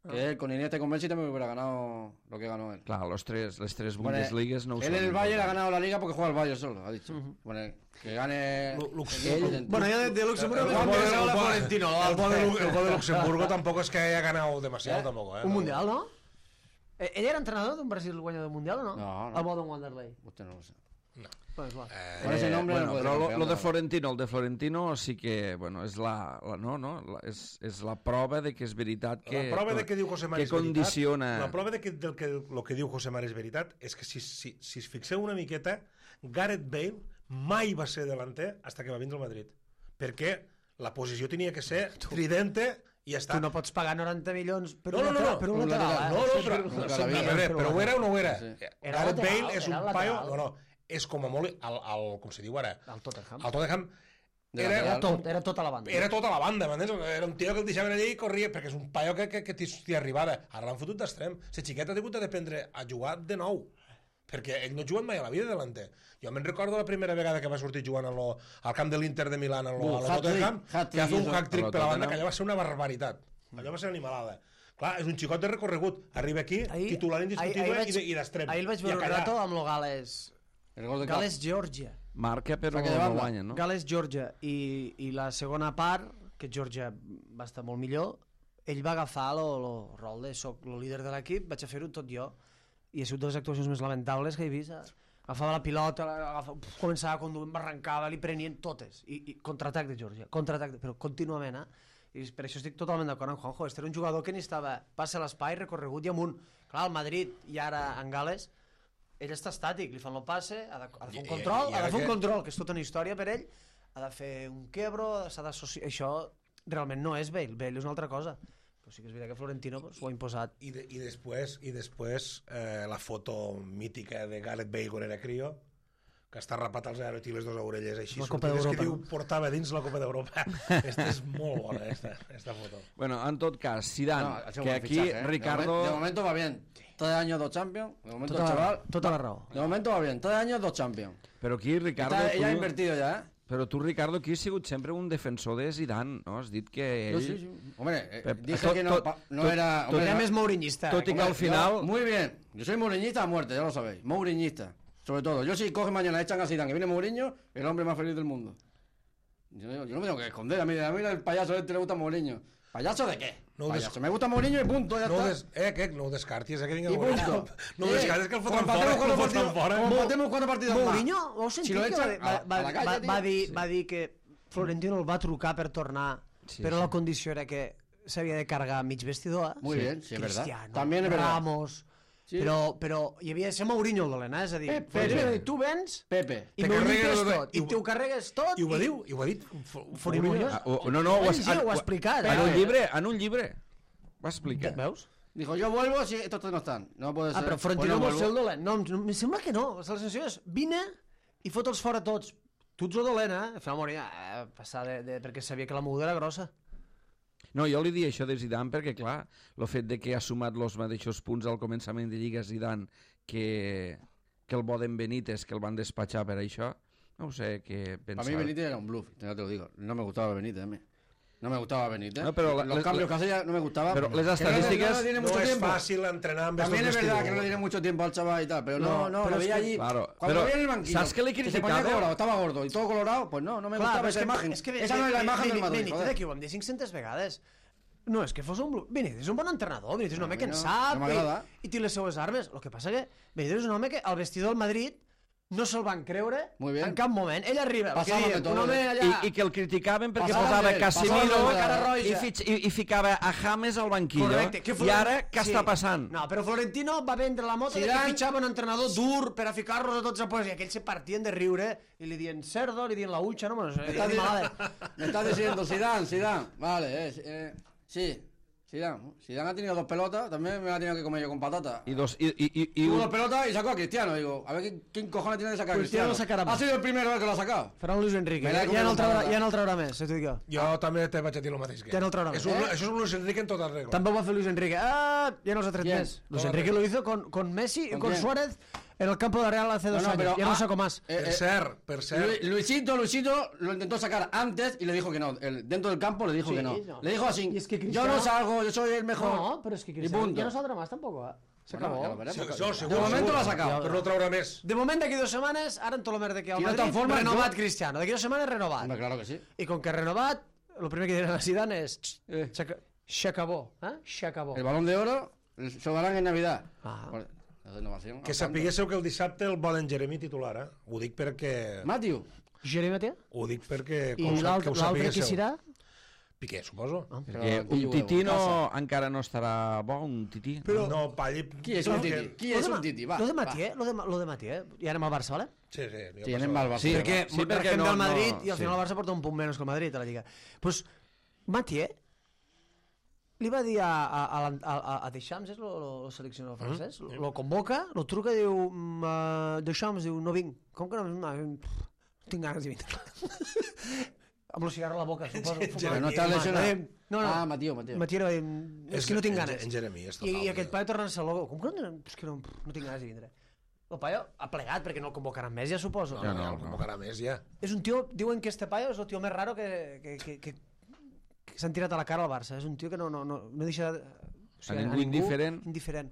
Que él con Iniesta y con Messi también hubiera ganado lo que ganó él. Clar, les tres Bueno, Bundesligas no ho él són. en el Bayern ha ganado la liga porque juega el Bayern solo, ha dicho. Bueno, que gane... bueno, yo de Luxemburgo El me bo de- pensaba el la bo- Florentino. el bo de Luxemburgo tampoco es que haya ganado demasiado, tampoco. Un mundial, no? Ell era entrenador d'un Brasil guanyador del mundial o no? No. El Boden Wanderlei. Usted no lo sé. Pues, clar. Con ese nombre bueno, no puede però ser lo campeón, de no. Florentino, el de Florentino sí que, bueno, és és la prova de que és veritat que... La prova de que diu José Mari que és veritat, condiciona... la prova de que el que diu José Mari és veritat és que si es fixeu una miqueta, Gareth Bale mai va ser delanter hasta que va vindre al Madrid. Perquè la posició tenia que ser tridente i ja està. Tu no pots pagar 90 milions per No, un no, no, lateral, per un un lateral, lateral, no, no, però, Nunca sí, la vi. a veure, però ho era o no ho era? Sí. Era Gareth lateral, Bale és era un lateral. paio... No, és com a molt... Com se diu ara? El Tottenham. El Tottenham De era, lateral. Era tota la banda. era tota la banda, m'entens? Era un tio que el deixaven allà i corria, perquè és un paio que t'hi arribava. Ara l'han fotut d'extrem. La xiqueta ha hagut d'aprendre a jugar de nou, perquè ell no ha jugat mai a la vida delanter. Jo me'n recordo la primera vegada que va sortir jugant al camp de l'Inter de Milán, a lo Tottenham, que va fer un hat-trick per la banda, que allò va ser una barbaritat. Allò va ser animalada. Clar, és un xicot de recorregut. Arriba aquí, titular indiscutible i d'extrem. Ahir el vaig veure un rato amb el Gales. El gol de Gales-Georgia. Marca però Saque de no banda. guanya, no? Gales-Georgia. I la segona part, que Georgia va estar molt millor, ell va agafar el rol de soc el líder de l'equip, vaig a fer-ho tot jo. I ha sigut de les actuacions més lamentables que he vist. Agafava la pilota, començava a conduir, m'arrencava, li prenien totes. I contraatac de Georgia, però contínuament, I per això estic totalment d'acord amb Juanjo. Este era un jugador que necessitava passe a l'espai, recorregut i amunt. Clar, al Madrid i ara en Gales, ell està estàtic, li fan el passe, ha de fer un control, que és tota una història per ell, ha de fer un quebro, s'ha d'associar... Això realment no és Bale, Bale és una altra cosa. Però sí que és veritat que Florentino s'ho ha imposat. I després la foto mítica de Gareth Bale quan era crio, que està rapat als aerot i les dues orelles així La Copa sortides, d'Europa, que diu no? portava dins la Copa d'Europa. Esta és molt bona, esta foto. Bueno, en tot cas, Zidane, No, ha sido que buen aquí fichaje, Ricardo... De momento va bien. 3 años, 2 Champions. De momento el Tota, chaval... tota la raó. De momento va bien. 3 años, 2 Champions. Però aquí, Ricardo, Ella ha invertido ya, Però tu, Ricardo, aquí has sigut sempre un defensor de Zidane, no? Has dit que ell... Sí, sí. Hombre, dije tot- que no, tot- no tot- era... tot- hombre, Era no- més mourinista. tot i que hombre, al final... yo- muy bien. Yo soy mourinista a muerte, ya lo sabéis. Mourinista. Sobre todo. Yo si coge mañana, echan a Zidane, que viene Mourinho, el hombre más feliz del mundo. Yo no me tengo que esconder. A mí el payaso este le gusta Mourinho. ¿Payaso de qué? No Payaso. Me gusta Mourinho y punto, ya No, está. no ho descartis, que vinga Y Mourinho. punto. No ho descartis, que el foten Como fora. empatemos Que el cuatro foten partidos- fora. como empatemos 4 partidos más. Mourinho, ho heu sentit? Si lo que echan a la calle, tío. va dir que Florentino el va trucar per tornar, Sí, però sí. la condició era que s'havia de cargar mig vestidor. Muy bien, sí, es verdad. Cristiano, También es verdad. Ramos... Sí. Però hi havia de ser Mourinho el dolent, és a dir, Pepe. Florentino va dir, tu vens Pepe. i Te m'ho carregues lluites tot, tot, i t'ho carregues tot. I ho ha dit Mourinho. No, ho Ho ha explicat. En un llibre. Ho ha explicat. Veus? Dijo, yo vuelvo si estos tres no están. No puede ser. Però Florentino Pues vol no ser el vuelvo. dolent. No, em sembla que no. La sensació és, vine i fot'ls fora tots. Tu ets el dolent, Fa Mourinho, passar perquè sabia que la moguda era grossa. No, jo li dic això de Zidane perquè, clar, el fet de que ha sumat els mateixos punts al començament de Lliga Zidane que que el bo d'en Benítez, que el van despatxar per això. No ho sé què pensar. Para mí Benítez era un bluff, ya te lo digo. No me gustaba Benítez a mí. No me gustaba Benítez. No, pero los cambios que hacía no me gustaban. Pero les Que no estadísticas... tiene No mucho és tiempo. fàcil entrenar amb También es estos verdad estilos. que no le tiene mucho tiempo al chaval y tal, pero no, pero lo es veía que- allí. Claro, Cuando pero lo veía en el banquillo, ¿sabes qué le que se criticaba? ponía colorado, estaba gordo y todo colorado, pues no me gustaba esa imagen. Esa no es la imagen del Madrid, Benítez, joder. aquí ho vam dir 500 vegades. No, és que fos un... Benítez és un bon entrenador, Benítez és un home que en no, sap no m'agrada. i té les seues armes. El que passa que Benítez és un home que al vestidor del Madrid no se'l van creure Muy bien. en cap moment. Ell arriba, el que Passava diem, de tot, un home allà... I que el criticaven perquè Passava posava de ell, Casemiro passava de cara i, roja. i ficava a James al banquillo. Correcte. I ara què està passant? No, però Florentino va vendre la moto de que Zidane- fitxava un entrenador dur per a ficar-los a tots a pues, i aquells se partien de riure i li dien cerdo, li dien la hucha, no? Bueno, Me estás diciendo Zidane. Vale, sí. Zidane ha tenido 2 pelotas, también me la ha tenido que comer yo con patata. I Tuvo 2 pelotas y sacó a Cristiano. Digo, a ver quién cojones tiene de sacar a Cristiano Cristiano. sacarà Ha més. sido el primero que lo ha sacado. farà un Luis Enrique. Me l'he Ja no el traurà, comido ja no el traurà més, t'ho dic jo. Jo també te vaig a dir el mateix que Ja no el traurà és més. Això és un Luis Enrique en tota regla. També ho va fer Luis Enrique. Ah, ja no els ha tret ¿Quién? més. Luis Correcte. Enrique lo hizo con Messi y ¿Con con quién? Suárez en el campo de Real hace 2 No, años. pero, Ya no saco más. Per cert. Luisito lo intentó sacar antes y le dijo que no. Dentro del campo le dijo Sí, que no. no. Le dijo así, Y es que yo Cristiano- no salgo, yo soy el mejor. No, pero es que Y Cristiano punto. ya no saldrá más tampoco. Se Bueno, acabó. ya lo veremos. Sí, jo, segur, De momento segur. lo ha sacado. Però no traurà més. De moment, d'aquí 2 setmanes, ara en Tolomer de que al Si no Madrid, te'n formes, renovat jo- Cristiano. D'aquí 2 setmanes, renovat. Hombre, claro que sí. I com que renovat, el primer que diran a Zidane és... S'acabó. S'acabó. El Balón de Oro se lo darán en Navidad. Ah. Bueno, la renovación. Que sapiguéssiu que el dissabte el volen Jeremy titular, eh? Ho dic perquè... Matthew. Jeremy Matia? Ho dic perquè... I que l'altre ho qui sapiguéssiu. serà? Piqué, suposo. Perquè Però un qui tití juega? no, encara no estarà bo, un tití. Però- No, Palli... Qui és un tití? Qui és un tití? Va. Lo de Matié, lo de Matié. I anem al Barça, vale? Sí. Sí, anem al Barça. Sí, Perquè, sí, perquè marquem no- del Madrid no- i al final sí. el Barça porta un punt menys que el Madrid a la Lliga. Pues Matié li va dir a Deschamps, és el seleccionador francès, lo convoca, lo truca i diu Deschamps, diu, no vinc. Com que no tinc ganes de vindre. Amb el cigarro a la boca, suposo. Però no està lesionat. No. Ah, Mateo. Matié li va dir, és que no tinc ganes. En Jeremy és I total. aquest paio torna a ser logo. Com que és que no tinc ganes de vindre? El paio ha plegat perquè no el convocaran més, ja suposo. No, el convocarà més, ja. És un tio, diuen que este paio és el tio més raro que s'han tirat a la cara al Barça. És un tio que no deixa... A ningú indiferent. Indiferent.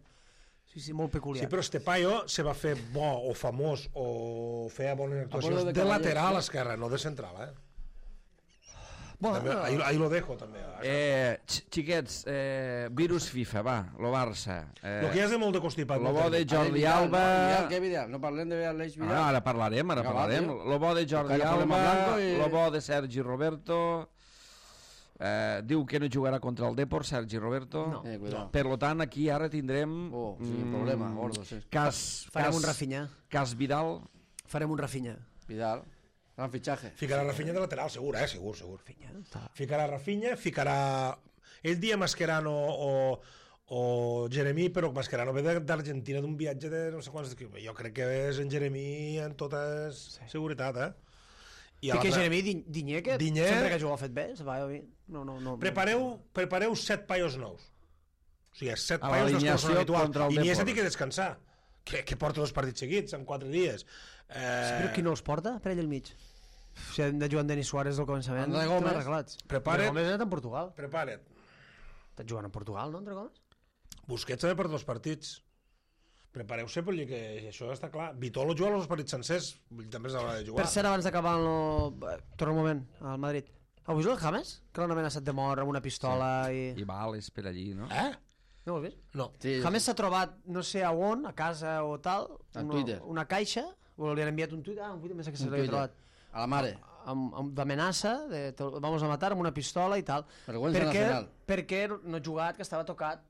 Sí, molt peculiar. Sí, però este paio se va fer bo o famós o feia bones actuacions de de Caballero, lateral sí. esquerra, no de central, eh? Bueno, També, ahí lo dejo, també. Xiquets, virus FIFA, va, lo Barça. Lo que ja és de molt de constipat. Lo no bo de té- Jordi Alba... Què Vidal? No parlem de Aleix Ah, Vidal. ara parlarem. Vinga, va, tio. Lo bo de Jordi Encara problema Alba, blanco i- lo bo de Sergi Roberto... diu que no jugarà contra el Depor, Sergi Roberto. No. Cuidado. Per lo tant, aquí ara tindrem... Sí, problema, gordo, sí. farem un Rafinha. Cas Vidal. Farem un Rafinha. Vidal. Gran fitxaje. Ficarà Rafinha de lateral, segur, segur. Rafinha, està... Ficarà Rafinha, ficarà... Ell dia Mascherano o Jeremy, però Mascherano ve d'Argentina d'un viatge de no sé quants... Jo crec que és en Jeremy en tota seguretat, eh? I I que l'altre- Jeremy Digne, que Digne- sempre que ha jugat fet bé, se va bé. No. Prepareu 7 paios nous. O sigui, 7 A paios dels que no l'alineació són habituals. contra el I Iniesta Depor. té que descansar. Que porta 2 partits seguits en 4 dies. Sí, però qui no els porta? Per ell al mig. Si hem de jugar amb Denis Suárez del començament, André estem Gómez. arreglats. Prepara't. André Gómez ha anat a Portugal. Prepara't. Estàs jugant a Portugal, no, André Gómez? Busquets també per 2 partits. Prepareu-se perquè que això està clar. Vitolo juga els partits sencers, també és l'hora de jugar. Per cert, abans d'acabar torna un moment al Madrid. Heu vist el James? Que l'han amenaçat de mort amb una pistola I Vales per allí, no? No ho has vist? No. Sí, James s'ha trobat, no sé a on, a casa o tal, A Twitter. una caixa, o li han enviat un tuit, un tuit més que se Un l'havia Twitter. trobat, A la mare. d'amenaça, de vamos a matar amb una pistola i tal. Vergüenza nacional. Perquè no ha jugat, que estava tocat.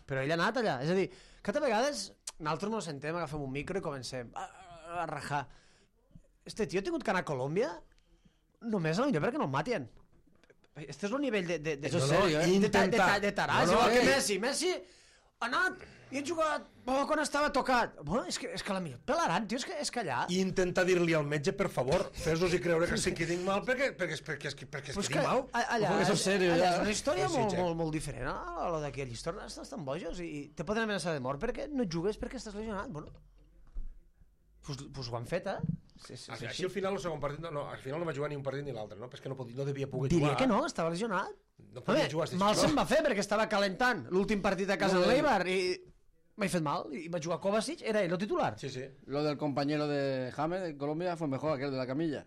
Però ell ha anat allà. És a dir, que a vegades nosaltres no sentem, agafem un micro i comencem a rajar. Este tio ha tingut que anar a Colòmbia només a la millor perquè no el matin. Este és el nivell de Eso es serio, ¿eh? de taràs, No, igual que ei. Messi ha anat i ha jugat quan estava tocat. Bueno, és que la millor pelaran, tio, és que allà... I intenta dir-li al metge, per favor, fes-los i creure que sí que tinc mal perquè es Pues quedi mal. allà, Ojo, que eso es serio, allà ja. és una història Sí, Jack. molt diferent a la d'aquí. Allà estan bojos i te poden amenaçar de mort perquè no jugues perquè estàs lesionat. Bueno, Pues ho han fet, Sí, Així al final el segon partit... No, al final no va jugar ni un partit ni l'altre, no? Perquè no devia poder Diria jugar. que no, estava lesionat. No podia jugar. Mal se'n va fer perquè estava calentant l'últim partit a casa de l'Eibar i m'he fet mal. I va jugar Kovacic, era ell el titular. Sí. Lo del compañero de James de Colombia fue mejor aquel de la camilla.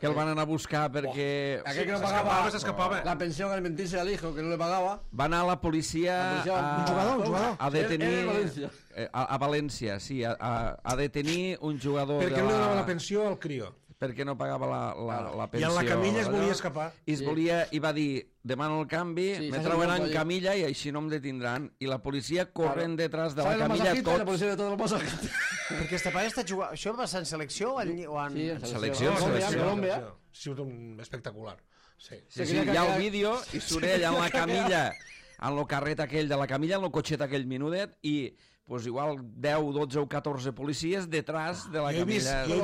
Que el van anar a buscar perquè... Aquel que no s'escapava. la pensión alimenticia al hijo, que no le pagaba. Va anar la policia Un jugador. a detenir... Era València. A València, sí, a detenir un jugador Perquè no li donava la pensió al crió. perquè no pagava la pensió. I en la camilla es volia escapar. I va dir, demano el canvi, Sí, me s'ha trauen sentit en allí. camilla i així no em detindran. I la policia corren detrás de la ¿Sabes los camilla masajistas? La tots. policía de todos los masajistas. Perquè este paio està jugant... Això va ser en selecció o en... Sí, en Selecció, Colòmbia. Sí, un espectacular. Sí. Sí, hi ha el vídeo i surt ell en la camilla, en el carret aquell de la camilla, en el cotxet aquell minudet, i pues igual 10, 12 o 14 policies detrás de la camilla. Jo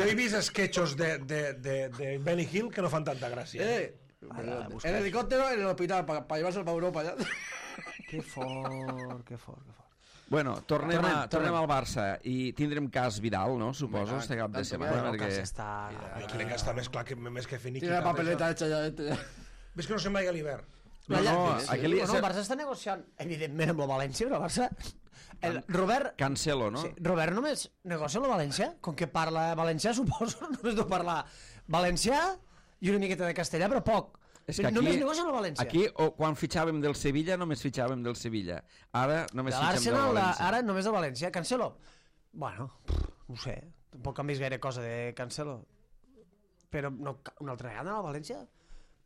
he vist sketchos de Benny Hill que no fan tanta gràcia. En helicóptero en el hospital para llevárselo para Europa ya. Que fort. Bueno, tornem al Barça i tindrem cas Vidal, no? Suposo, este cap de setmana. El cas perquè... està... Jo crec que està més clar que més que Finiqui. Tiene la papeleta hecha ya este. Ves que no se'n vagi a l'hivern. No, aquell... el Barça està negociant, evidentment, amb el València, però el Barça... Robert... Cancelo, no? Sí, Robert només negocia amb el València? Com que parla valencià, suposo, només deu parlar valencià i una miqueta de castellà, però poc. És que aquí, només negocia amb el València. Aquí, quan fitxàvem del Sevilla, només fitxàvem del Sevilla. Ara només fitxem del València. Ara només del València. Cancelo? Bueno, no ho sé. Tampoc han vist gaire cosa de Cancelo. Però no, una altra vegada al València?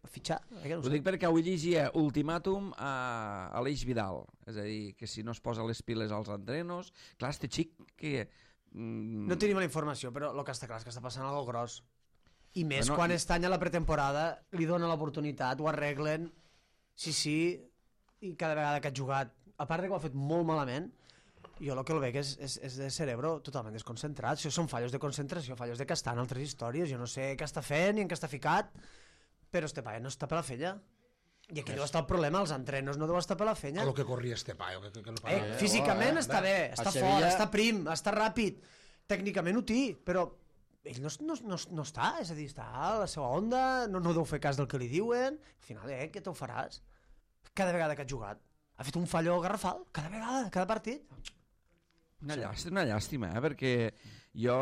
A fitxar? No Ho dic perquè avui llegia ultimàtum a Aleix Vidal. És a dir, que si no es posa les piles als entrenos... Clar, este xic que... No tenim la informació, però el que està clar és que està passant algo gros. I més Bueno, quan estany a la pretemporada li donen l'oportunitat, ho arreglen, sí, i cada vegada que ha jugat, a part de que ho ha fet molt malament, jo el que el veig és de cerebro totalment desconcentrat. Això són fallos de concentració, fallos de que està en altres històries. Jo no sé què està fent ni en què està ficat, però este paio no està per la fella. I aquí deu estar el problema, els entrenos no deu estar per la fenya. A lo que corria este paio. Que no para. Físicament està bé, està fort, està prim, està ràpid, tècnicament ho té, però ell no està, és a dir, està a la seva onda, no deu fer cas del que li diuen, al final, què te'l faràs? Cada vegada que ha jugat, ha fet un fallo garrafal, cada vegada, cada partit. Una llàstima, perquè jo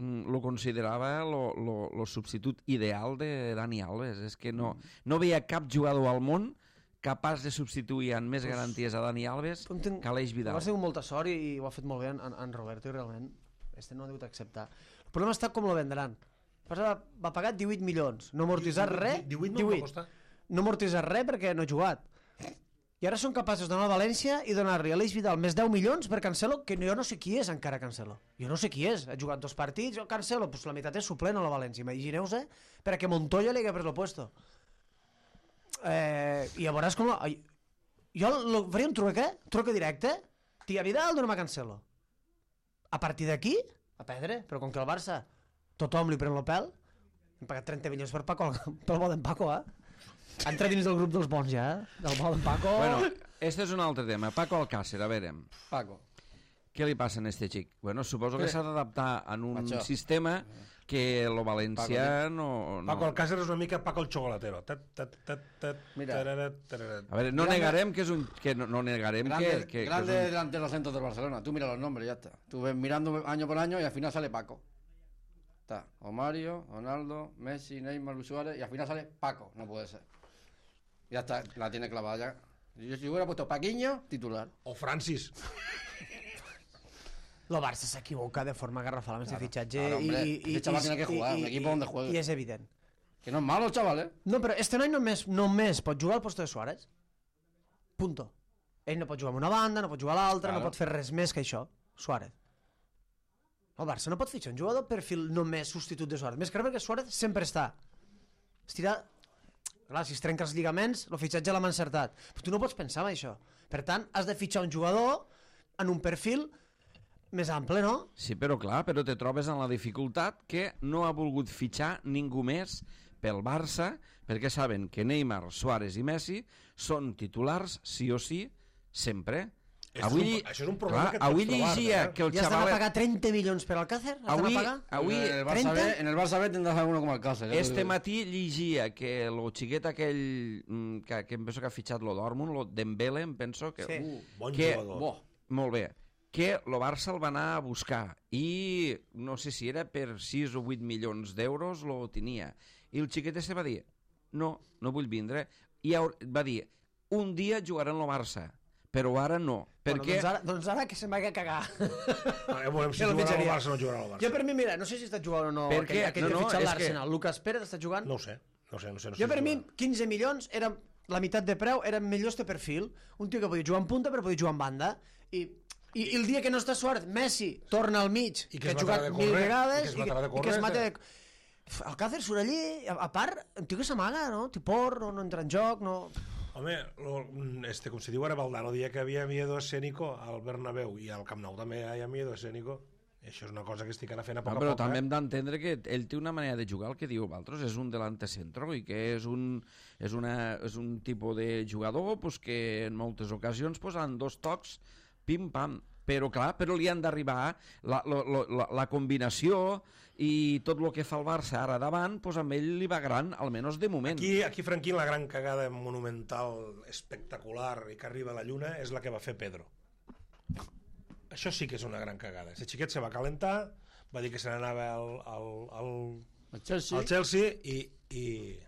lo considerava lo substitut ideal de Dani Alves. És que no veia cap jugador al món capaç de substituir amb més garanties a Dani Alves que Aleix Vidal. Ha sigut molta sort i ho ha fet molt bé en Roberto i realment este no ha degut acceptar. El problema està com lo vendran. Va pagar 18 milions, no amortitzar res. 18. No amortitzar res perquè no ha jugat. I ara són capaços d'anar a València i donar-li a Aleix Vidal més 10 milions per Cancelo, que jo no sé qui és encara Cancelo. Jo no sé qui és. Ha jugat 2 partits, Cancelo, pues la meitat és suplent a la València. Imagineu-se perquè Montoya li hagués pres el puesto. I a veuràs com... Jo faria un truque directe, tia Vidal, dona'm a Cancelo. A partir d'aquí, a perdre, però com que el Barça tothom li pren el pèl, hem pagat 30 milions per Paco, pel bo d'en Paco, Entra dins del grup dels bons ja, del bo d'en Paco. Bueno, este és un altre tema. Paco Alcácer, a veure. Paco. Què li passa a este xic? Bueno, suposo que s'ha d'adaptar en un sistema que lo valencià no... Paco Alcácer és una mica Paco el chocolatero. Mira. A veure, no negarem que és un... No negarem que Grande delante de los centros del Barcelona. Tú mira los nombres, ya está. Tú ves mirando año por año y al final sale Paco. Está o Mario, Ronaldo, Messi, Neymar, Luis Suárez y al final sale Paco. No puede ser. Ya está, la tiene clavada ya. Si hubiera puesto Paquiño, titular. O Francis. El Barça s'equivoca de forma garrafal amb este fitxatge. Claro, hombre, este chaval tiene que jugar, un equipo donde juegue. I és evident. Que no es malo, chaval, No, però este noi només pot jugar al posto de Suárez. Punto. Ell no pot jugar amb una banda, no pot jugar a l'altra, no pot fer res més que això. Suárez. El Barça no pot fitxar un jugador perfil només substitut de Suárez. Més que res perquè Suárez sempre està. Clar, si es trenca els lligaments, el fitxatge l'hem encertat. Però tu no pots pensar en això. Per tant, has de fitxar un jugador en un perfil més ample, no? Sí, però clar, però te trobes en la dificultat que no ha volgut fitxar ningú més pel Barça, perquè saben que Neymar, Suárez i Messi són titulars, sí o sí, sempre. Això és un problema que et avui pots trobar, llegia que el Ja estan a xavalet... pagar 30 milions per Alcácer? Avui, En el Barça B tendrás alguno como Alcácer. este matí llegia que el xiquet aquell que em penso que ha fitxat lo Dortmund, lo Dembele, em penso que... Sí. Bon que, jugador. Molt bé. Que el Barça el va anar a buscar i no sé si era per 6 o 8 milions d'euros lo tenia. I el xiquet se va dir, no vull vindre. I va dir, un dia jugaré en el Barça, però ara no. Perquè... Doncs ara que se'n vagi a cagar. Veurem si jugarà al Barça o no jugarà al Barça. Jo per mi, mira, no sé si està jugant o no Perquè- aquell que no, ha fitxat és l'Arsenal. Lucas Pérez està jugant? No ho sé. Jo per mi, 15 milions, era la meitat de preu, era millor este perfil. Un tio que podia jugar en punta però podia jugar en banda. I el dia que no està suert, Messi torna al mig, I que es ha jugat matarà de 1000 córrer, vegades, i que es mata de córrer, Alcácer surt allí, a part, un tio que s'amaga, no? Tipor, no entra en joc, no... Home, com se diu ara, Valdano dia que havia miedo escénico al Bernabéu i al Camp Nou també hi ha miedo escénico. Això és una cosa que estic ara fent a poc a però poc. també hem d'entendre que ell té una manera de jugar, el que diu Valtros, és un delante centro i que és un tipus de jugador pues, que en moltes ocasions pues, en 2 tocs, pim-pam, però li han d'arribar la combinació i tot el que fa el Barça ara davant, pues, amb ell li va gran, almenys de moment. Aquí, Franquín, la gran cagada monumental, espectacular i que arriba a la lluna és la que va fer Pedro. Això sí que és una gran cagada. El xiquet se va calentar, va dir que se n'anava al Chelsea i...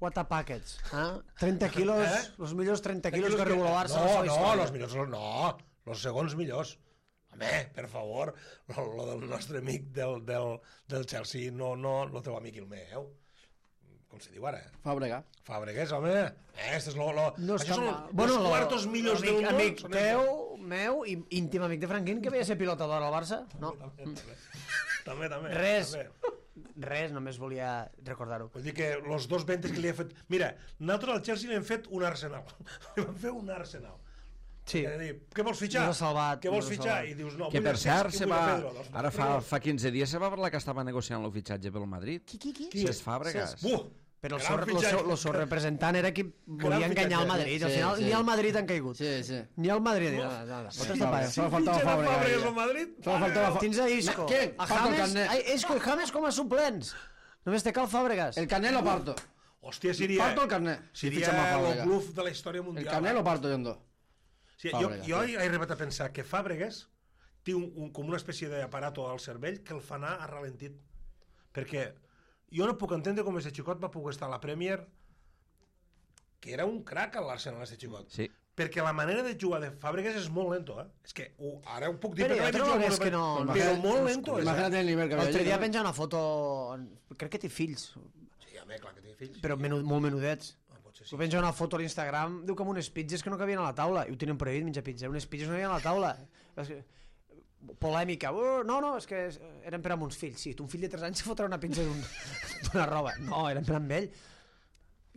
What a packets, eh? 30 quilos, los millors 30 quilos que arriba al Barça. Los segons millors. Home, per favor, lo del nostre amic del Chelsea, no el teu amic el meu. Com se diu ara? Fàbregas, home. Este és No això són bueno, los cuartos millors del món. Amic teu, meu, i íntim amic de Franquín, que veia ser pilota d'or al Barça. No. També. Res, només volia recordar-ho. Vull dir que els 2 ventes que li ha fet... Mira, nosaltres al Chelsea li hem fet un Arsenal. Li vam fer un Arsenal. Sí. Què vols fitxar? No l'ha salvat, Què vols no l'ha fitxar? salvat. I dius, no, Que vull per el cert, Cesc i vull a Pedro. Doncs, ara fa 15 dies se va parlar que estava negociant el fitxatge pel Madrid. Qui? Cesc Fàbregas. Però Gran el fitxatge. seu representant era qui volia Gran enganyar el fitxatge. Madrid. Al Sí, final, sí. ni al Madrid han caigut. Sí. Ni al Madrid. Nada. Solo faltaba Fàbregas Fábregas. al Madrid? Solo faltaba Tens a Isco. ¿Qué? A Falta el James, carnet. Isco i James com a suplents. Només te cal Fàbregas. El carnet lo parto. Hòstia, seria... Parto el carnet. Seria Ficha más el Fábregas. bluff de la història El mundial. carnet lo parto yo en 2. Sí, Fàbregas, jo sí. he arribat a pensar que Fàbregas té com una espècie d'aparato al cervell que el fa anar a ralentit. Perquè jo no puc entendre com aquest xicot va poder estar a la Premier, que era un crac a l'Arsenal, aquest xicot. Sí. Perquè la manera de jugar de Fàbregas és molt lento, eh? És que ara ho puc dir Però perquè jo l'he vist trobo jugar que molt és que no... però molt lento és, Imagínate el nivel que había L'altre allí, dia ¿no? penja una foto... Crec que té fills, Sí, home, clar que té fills. però molt menudets. Ah, potser Tu penja una foto a l'Instagram, diu com unes pizzas que no cabien a la taula, i ho tenen prohibit menjar pizza, unes pizzas no cabien a la taula. Polèmica, no, és que eren per amb uns fills. Sí, un fill de 3 anys se fotrà una pizza d'una roba. No, eren per amb ell.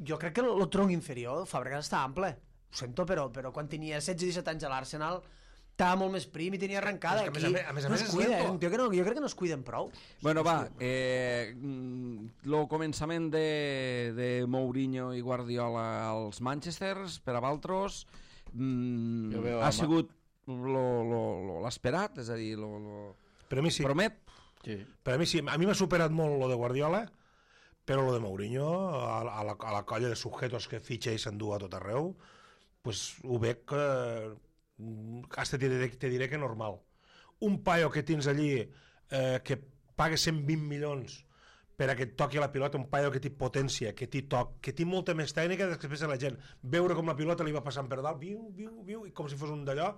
Jo crec que el tronc inferior, Fàbregas està ample. Ho sento, però quan tenia 16-17 anys a l'Arsenal estava molt més prim i tenia arrencada. Però és que a més a no més es és cuida, lento. un tio que no, jo crec que no es cuiden prou. Bueno, va, el començament de Mourinho i Guardiola als Manchesters, per a Valtros, Jo veo ha sigut l'esperat, és a dir, Per a mi sí. promet. Sí. Per a mi sí. A mi m'ha superat molt lo de Guardiola, però lo de Mourinho, a la colla de sujetos que fitxa i s'endú a tot arreu, pues ho veig que... hasta te diré que normal. Un paio que tens allí que paga 120 milions per a que et toqui la pilota, un paio que té potència, que té toc, que té molta més tècnica després de la gent. Veure com la pilota li va passant per dalt, viu, i com si fos un d'allò,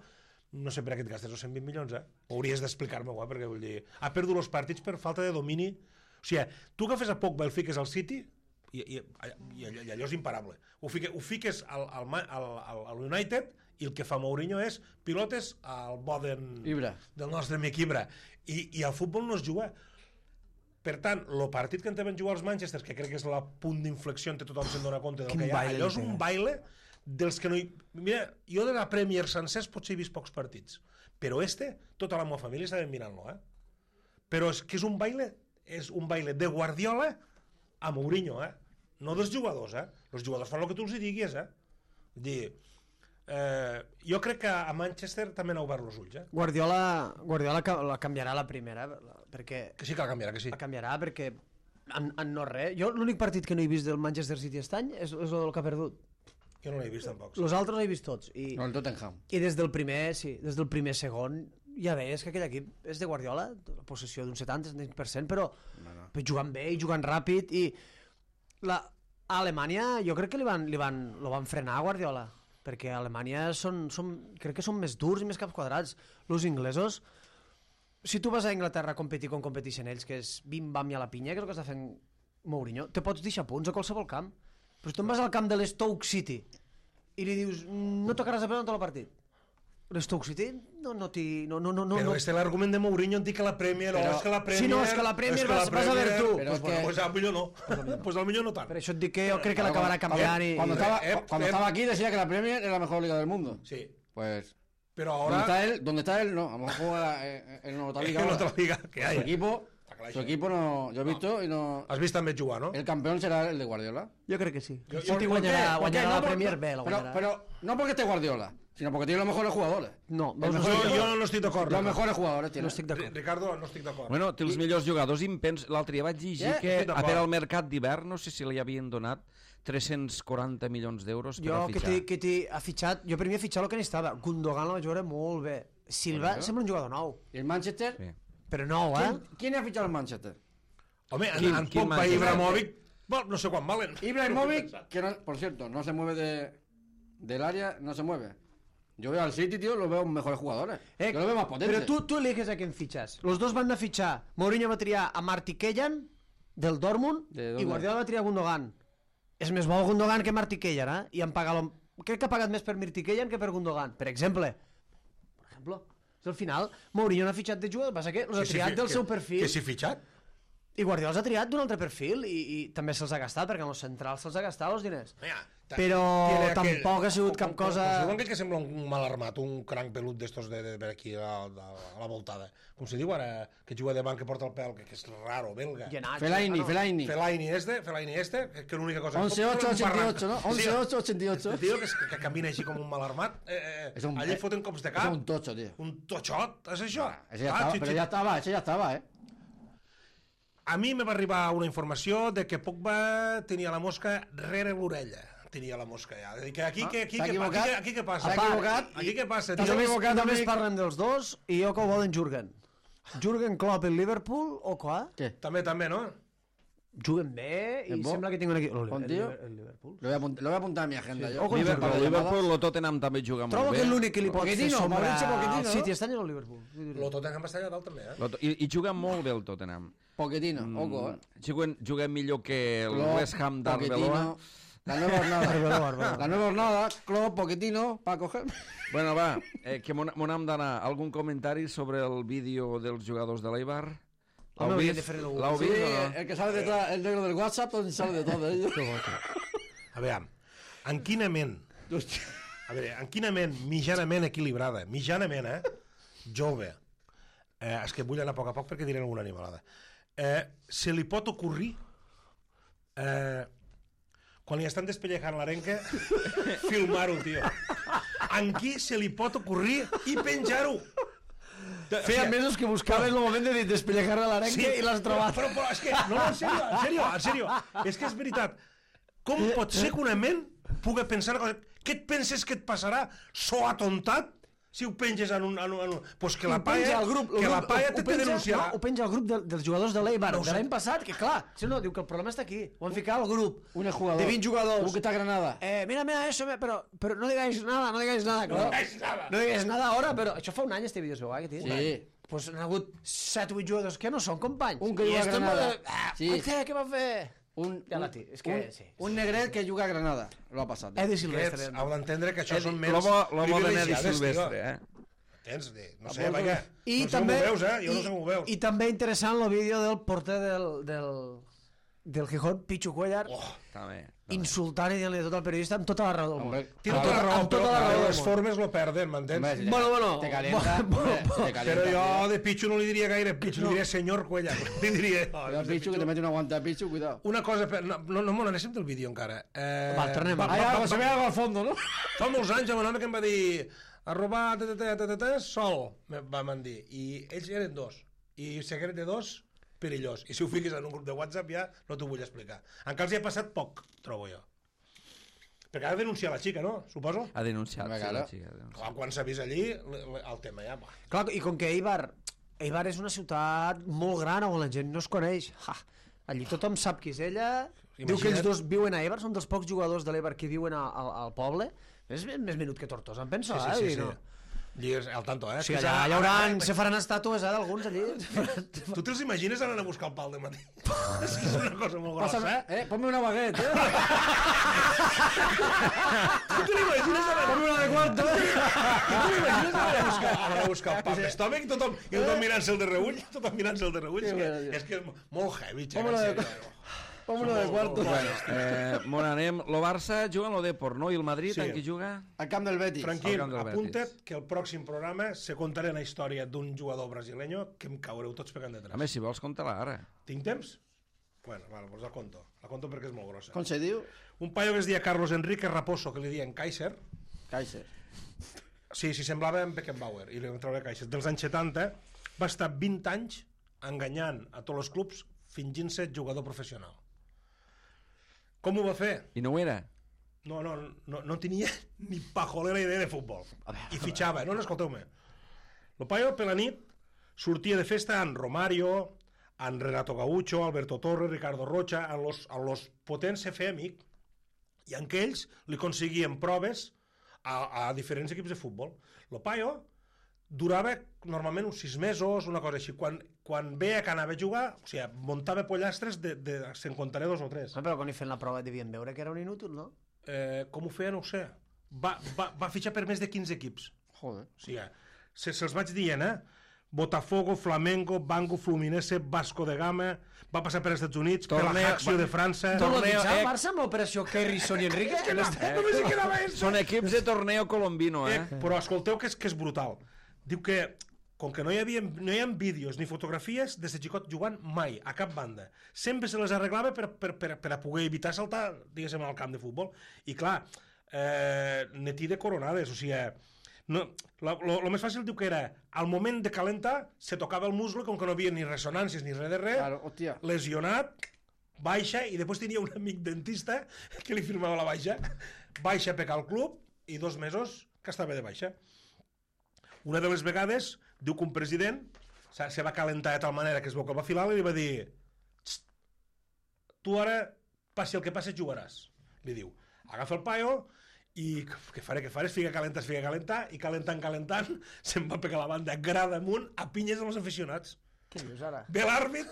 no sé per a què et gastes els 120 milions, eh? Hauries d'explicar-me-ho, perquè vull dir... Ha perdut els partits per falta de domini. O sigui, tu agafes a Pogba i el fiques al City i allò és imparable. Ho fiques al United i el que fa Mourinho és pilotes al bo del nostre amic Ibra. I el futbol no es juga. Per tant, el partit que en van jugar els Manchester, que crec que és el punt d'inflexió en què tothom se'n dona compte del que hi ha, allò és un baile dels que no hi... Mira, jo de la Premier sencers potser he vist pocs partits, però tota la meva família estava mirant-lo, eh? Però és que és un baile de Guardiola a Mourinho, eh? No dels jugadors, eh? Els jugadors fan el que tu els diguis, eh? Vull dir, Jo crec que a Manchester també n'ha obert els ulls, Guardiola la canviarà la primera, perquè... Que sí que la canviarà, que sí. La canviarà perquè en no res. Jo l'únic partit que no he vist del Manchester City aquest any és el que ha perdut. Jo no l'he vist tampoc. Els altres no he vist tots. No, el Tottenham. I des del primer segon ja veies que aquell equip és de Guardiola, la possessió d'un 70-70%, però jugant bé i jugant ràpid. I a Alemanya jo crec que lo van frenar a Guardiola, perquè a Alemanya crec que són més durs i més caps quadrats. Els inglesos, si tu vas a Anglaterra a competir com competeixen ells, que és bim-bam i a la pinya, que és el que està fent Mourinho, te pots deixar punts a qualsevol camp. Però si tu vas al camp de l'Stoke City i li dius no tocaràs a pelota en tot el partit, l'Stoke City no. Però este l'argument de Mourinho en dir que la Premier... és que la Premier... Sí, no, és que la Premier vas a ver tu. Pues al millor no. Pues al millor no tant. Per això et dic que jo crec que l'acabarà canviant i... Cuando estaba aquí decía que la Premier era la mejor liga del mundo. Sí. Pues... Pero ahora... ¿Dónde está él? No, a lo mejor juega en otra liga. En otra liga que hay. Su equipo no... Yo he visto y no... Has vist també jugar, no? El campeón será el de Guardiola. Jo crec que sí. City guanyarà la Premier bé, la guanyarà. Pero no porque esté Guardiola, sino porque tiene los mejores jugadores. No, jo no estic d'acord. Los mejores jugadores tiene. No estic d'acord. Ricardo, no estic d'acord. Bueno, té els millors jugadors impens. L'altre dia vaig llegir que a per al mercat d'hivern, no sé si li havien donat 340 milions d'euros per a fitxar. Jo ha fitxat, jo per mi he fitxat el que necessitava. Gundogan la vaig veure molt bé. Silva sembla un jugador nou. ¿Y el Manchester? Sí. Però nou, ¿Quién ha fichado el Manchester? Home, en Pogba i Ibrahimovic, no sé quan valen. Ibrahimovic, que no, por cierto, no se mueve del área, no se mueve. Yo veo al City, tío, lo veo mejores jugadores. Yo lo veo más potente. Però tu eliges a quién fichas. Los dos van a fichar. Mourinho va triar a Martí Kejan, del Dortmund, i Guardiola va triar a Gundogan. És més bo Gundogan que Martí Kejan, eh? I han pagat... Crec que ha pagat més per Martí Kejan que per Gundogan. Per exemple. Al final, Mourinho no ha fitxat de jugador, passa que els ha triat del seu perfil. Que s'hi fitxat? I Guardiola els ha triat d'un altre perfil i també se'ls ha gastat, perquè en els centrals se'ls ha gastat els diners. Però tampoc ha sigut cap cosa... Com que sembla un mal armat, un cranc pelut d'estos de aquí a la voltada. Com se diu ara, que juga de banc que porta el pèl, que és raro, belga. Fellaini. Fellaini este, que l'única cosa... 11-8-88, no? 11-8-88. El tio que camina així com un mal armat, allí foten cops de cap. És un tocho, tío. Un tochot, és això? Pero ya estaba, ¿eh? A mi me va arribar una informació de que Pogba tenia la mosca rere l'orella. Tenia la mosca ja. Aquí què passa? S'ha equivocat. Aquí què passa? Només parlen dels dos i jo que ho volen Jürgen. Jürgen Klopp el Liverpool o quoi? Què? També, no? Juguen bé i sembla que tinc un equip... El Liverpool. Lo voy a apuntar a mi agenda. Liverpool, el Tottenham també juga molt bé. Trobo que l'únic que li pot fer sombra al City este any és el Liverpool. El Tottenham està allà dalt també, eh? I juga molt bé el Tottenham. Pochettino, ojo, Juguen millor que el West Ham d'Arbeloa. La nueva jornada, Klopp, Pochettino, para coger... Bueno, va, que m'on hem d'anar. Algun comentari sobre el vídeo dels jugadors de l'Eibar? ¿L'heu vist? Sí, el que sale detrás, el negro del WhatsApp, donde sale de todo ello. A veure, en quina ment, mitjanament equilibrada, jove, és que vull anar a poc perquè diré alguna animalada, se li pot ocorrir, quan li estan despellejant l'arenca, filmar-ho, tio. En qui se li pot ocorrir i penjar-ho? Feia mesos que buscaven el moment de despellejar l'arenca i l'has trobat. Però és que, no, en sèrio, és que és veritat. Com pot ser que una ment pugui pensar una cosa? Què et penses que et passarà? So atontat? Si ho penges en un... Pues que la paia te denunciarà. Ho penja al grup dels jugadors de l'Eibar de l'any passat, que clar, si no, diu que el problema està aquí. Ho han ficat al grup de 20 jugadors. Un que está Granada. Mira eso, pero no digáis nada, claro. No digáis nada ahora, pero això fa un any este vídeo, seu, que tens? Sí. Pues han hagut 7 o 8 jugadors que no són companys. Un que juga a Granada. Què va fer? Un negret que juga a Granada. Lo ha passat. Edi Silvestre. Heu d'entendre que això són ments privilegiades, Silvestre, Tens, no sé, vaja. I no sé com ho veus, jo no sé com ho veus. I també interessant el vídeo del porter del del Gijón, Pichu Cuellar, També. insultant i dient-li tot al periodista amb tota la raó del món. Hombre, Té tota la raó, amb tota la però raó del les món. formes lo perden, m'entens? Bueno. Te calienta. Te calienta. Però jo de Pichu no li diria gaire Pichu, li diria senyor Cuellar. Li diria... Cuidado, Pichu, que te mete una guanta a Pichu, cuidado. Una cosa, no me n'anéssim del vídeo encara. Va, tornem. Se ve algo al fondo, ¿no? Fa molts anys hi ha un home que em va dir @sol, van dir. I ells eren dos. I secret de dos, perillós. I si ho fiques en un grup de WhatsApp ja no t'ho vull explicar. Encara els hi ha passat poc, trobo jo. Perquè ha de denunciar la xica, no? Suposo? Ha denunciat, Una sí, cara. la xica. Ha denunciat. Clar, quan s'ha vist allí, el tema ja... Va. Clar, i com que Eibar és una ciutat molt gran on la gent no es coneix, allí tothom sap qui és ella, diu que ells dos viuen a Eibar, són dels pocs jugadors de l'Eibar que viuen al poble, és més menut que Tortosa, em penso, Sí. No? Allí és al tanto, Sí, allà hi hauran, se faran estàtues, d'alguns allí. Tu te'ls imagines anant a buscar el pal de matí? És que és una cosa molt grossa, Pásame, ponme una baguette, Tu te l'imagines anant Ponme una de cuarto, a buscar el pal d'estòmac i tothom mirant-se'l de reull, és que és molt heavy, Ponme una de Ponme una de cuarto. Bon, anem. Lo Barça juga en lo Depor, no? I el Madrid, Sí. en qui juga? Al camp del Betis. Tranquil, Al camp del apunta't Betis. que el pròxim programa se contaré la història d'un jugador brasileño que em caureu tots pegant A detrás. més, si vols, conta-la ara. Tinc temps? Bueno, vale, doncs la conto. La conto perquè és molt grossa. Com se diu? Un paio que es deia Carlos Enrique Raposo, que li deien Kaiser, Kaiser. sí, semblava en Beckenbauer, i li vam treure Kaiser. Dels anys 70 va estar 20 anys enganyant a tots els clubs fingint-se jugador professional. Com ho va fer? I no ho era? No tenia ni pajolera idea de futbol. I fitxava. No, escolteu-me. El paio, per la nit, sortia de festa amb Romario, amb Renato Gaucho, Alberto Torres, Ricardo Rocha, amb los potents se feia amic, i en què ells li aconseguien proves a diferents equips de futbol. El paio durava normalment uns 6 mesos, una cosa així. Quan veia que anava a jugar, o sigui, muntava pollastres se'n contaré 2 o 3. Però quan hi feien la prova devien veure que era un inútil, no? Com ho feia no ho sé. Va fitxar per més de 15 equips. Joder. O sigui, se'ls vaig dient, Botafogo, Flamengo, Banco, Fluminense, Vasco de Gama, va passar per als Estats Units, per la Acció de França... Tu l'ho dius, eh? el Barça amb l'operació Kerrison i Enrique? Que no està... Només hi quedava esto. Són equips de torneo colombino, Però escolteu que és brutal. Diu que, com que no hi ha vídeos ni fotografies des de xicot jugant mai, a cap banda. Sempre se les arreglava per a poder evitar saltar, diguéssim, al camp de futbol. I clar, netí de coronades, o sigui... Lo més fàcil diu que era, al moment de calentar, se tocava el muscle, com que no havia ni ressonàncies ni res de res, Claro, hòstia. lesionat, baixa, i després tenia un amic dentista que li firmava la baixa, baixa a pecar al club, i 2 mesos que estava de baixa. Una de les vegades, diu que un president se va calentar de tal manera que es veu que va filar i li va dir: tu ara, passi el que passi, jugaràs. Li diu, agafa el paio i què faré, fica calentar, i calentant, se'n va pegar la banda grada amunt a pinyes amb els aficionats. Què dius ara? Ve l'àrbit,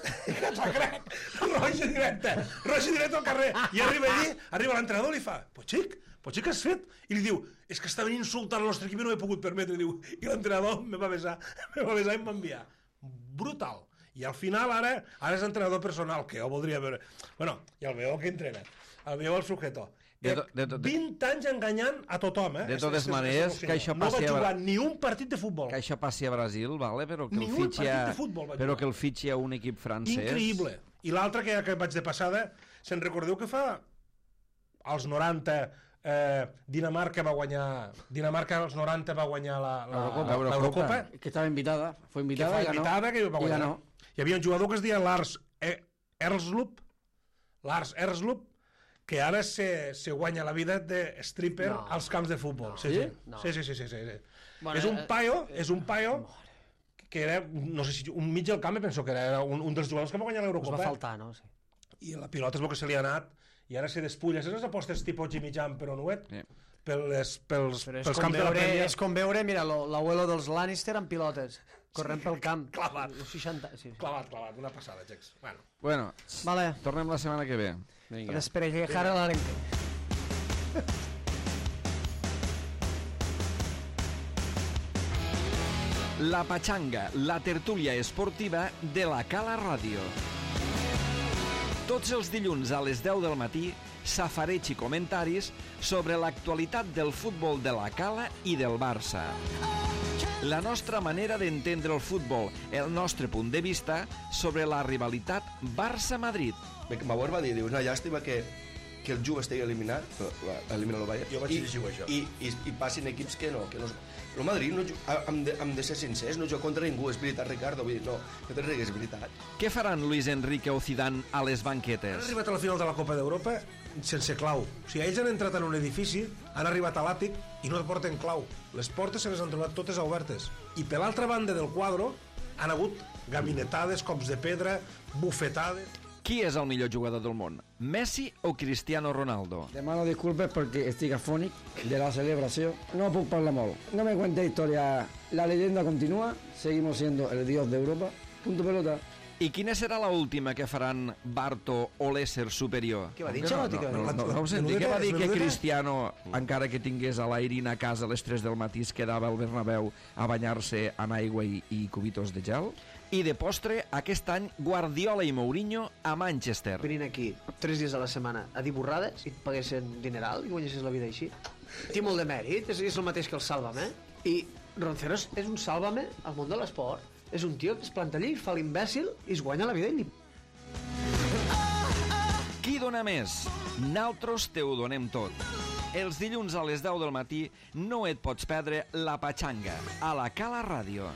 roja directa al carrer, i arriba l'entrenador i li fa, pues xic, què has fet? I li diu, és que estaven insultant el nostre equip i no m'he pogut permetre, diu, i l'entrenador me va besar i em va enviar. Brutal. I al final ara és entrenador personal, que jo voldria veure. Bueno, i el veieu que entrena, el veieu el sujeto. 20 anys enganyant a tothom, De totes maneres, que això no va passi jugar ni un partit de futbol. Que això passi a Brasil, vale? Però que Ni el un fitxi partit de futbol va però jugar. que el fitxi a un equip francès. Increïble. I l'altre que vaig de passada, se'n recordeu que fa als 90 Dinamarca als 90 va guanyar l'Eurocopa. Que estava invitada. Fue Que invitada fa y ganó. invitada que va Y guanyar. ganó. Hi havia un jugador que es deia Lars Erslup, que ara se guanya la vida de stripper als camps de futbol. Sí. Bueno, És un paio que era, no sé si un mig del camp, penso que era un dels jugadors que va guanyar Us va l'Eurocopa. faltar, no? Sí. I la pilota és el que se li ha anat, i ara se despulla. Saps les apostes tipus Jimmy Jam, però nuet? Sí. Pels Però és camps com de la veure, Premier. és com veure, mira, l'abuelo dels Lannister amb pilotes, corrent pel camp. Clavat. 60, sí. Clavat, una passada, Jex. Bueno, Vale, tornem la setmana que ve. Venga. desperejar a l'arenque. La Pachanga, la tertúlia esportiva de la Cala Ràdio. Tots els dilluns a les 10 del matí, safareig i comentaris sobre l'actualitat del futbol de la Cala i del Barça. La nostra manera d'entendre el futbol, el nostre punt de vista sobre la rivalitat Barça-Madrid. Mauer va dir, diu, una llàstima que el Juve estigui eliminat, elimina el Bayern, Jo vaig llegir això. i passin equips que no. El Madrid, hem de ser sincers, no juga contra ningú, és veritat, Ricardo, vull dir, no te rigues, és veritat. Què faran Luis Enrique o Zidane a les Han banquetes? arribat a la final de la Copa d'Europa sense clau. O sigui, ells han entrat en un edifici, han arribat a l'àtic i no porten clau. Les portes se les han trobat totes obertes. I per l'altra banda del quadre han hagut gabinetades, cops de pedra, bufetades... Qui és el millor jugador del món? Messi o Cristiano Ronaldo? Demano disculpes perquè estic afònic de la celebració. No puc parlar molt. No me cuente historia. La leyenda continúa. Seguimos siendo el dios de Europa. Punto pelota. I quina serà la última que faran Barto o l'ésser superior? Què va dir? No, Xavi? no ho senti. Què va dir que Cristiano, encara que tingués a l'Airin a casa a les 3 del matí, es quedava al Bernabéu a banyar-se en aigua i cubitos de gel? I de postre, aquest any, Guardiola i Mourinho a Manchester. Venint aquí 3 dies a la setmana a dir borrades i et paguessin dineral i guanyessis la vida així. Té molt de mèrit, és el mateix que el Sálvame. I Ronceros és un Sálvame al món de l'esport. És un tio que es planta allí, fa l'imbècil i es guanya la vida ell. Qui dona més? Naltros te ho donem tot. Els dilluns a les 10 del matí no et pots perdre La Patxanga, a la Cala Ràdio.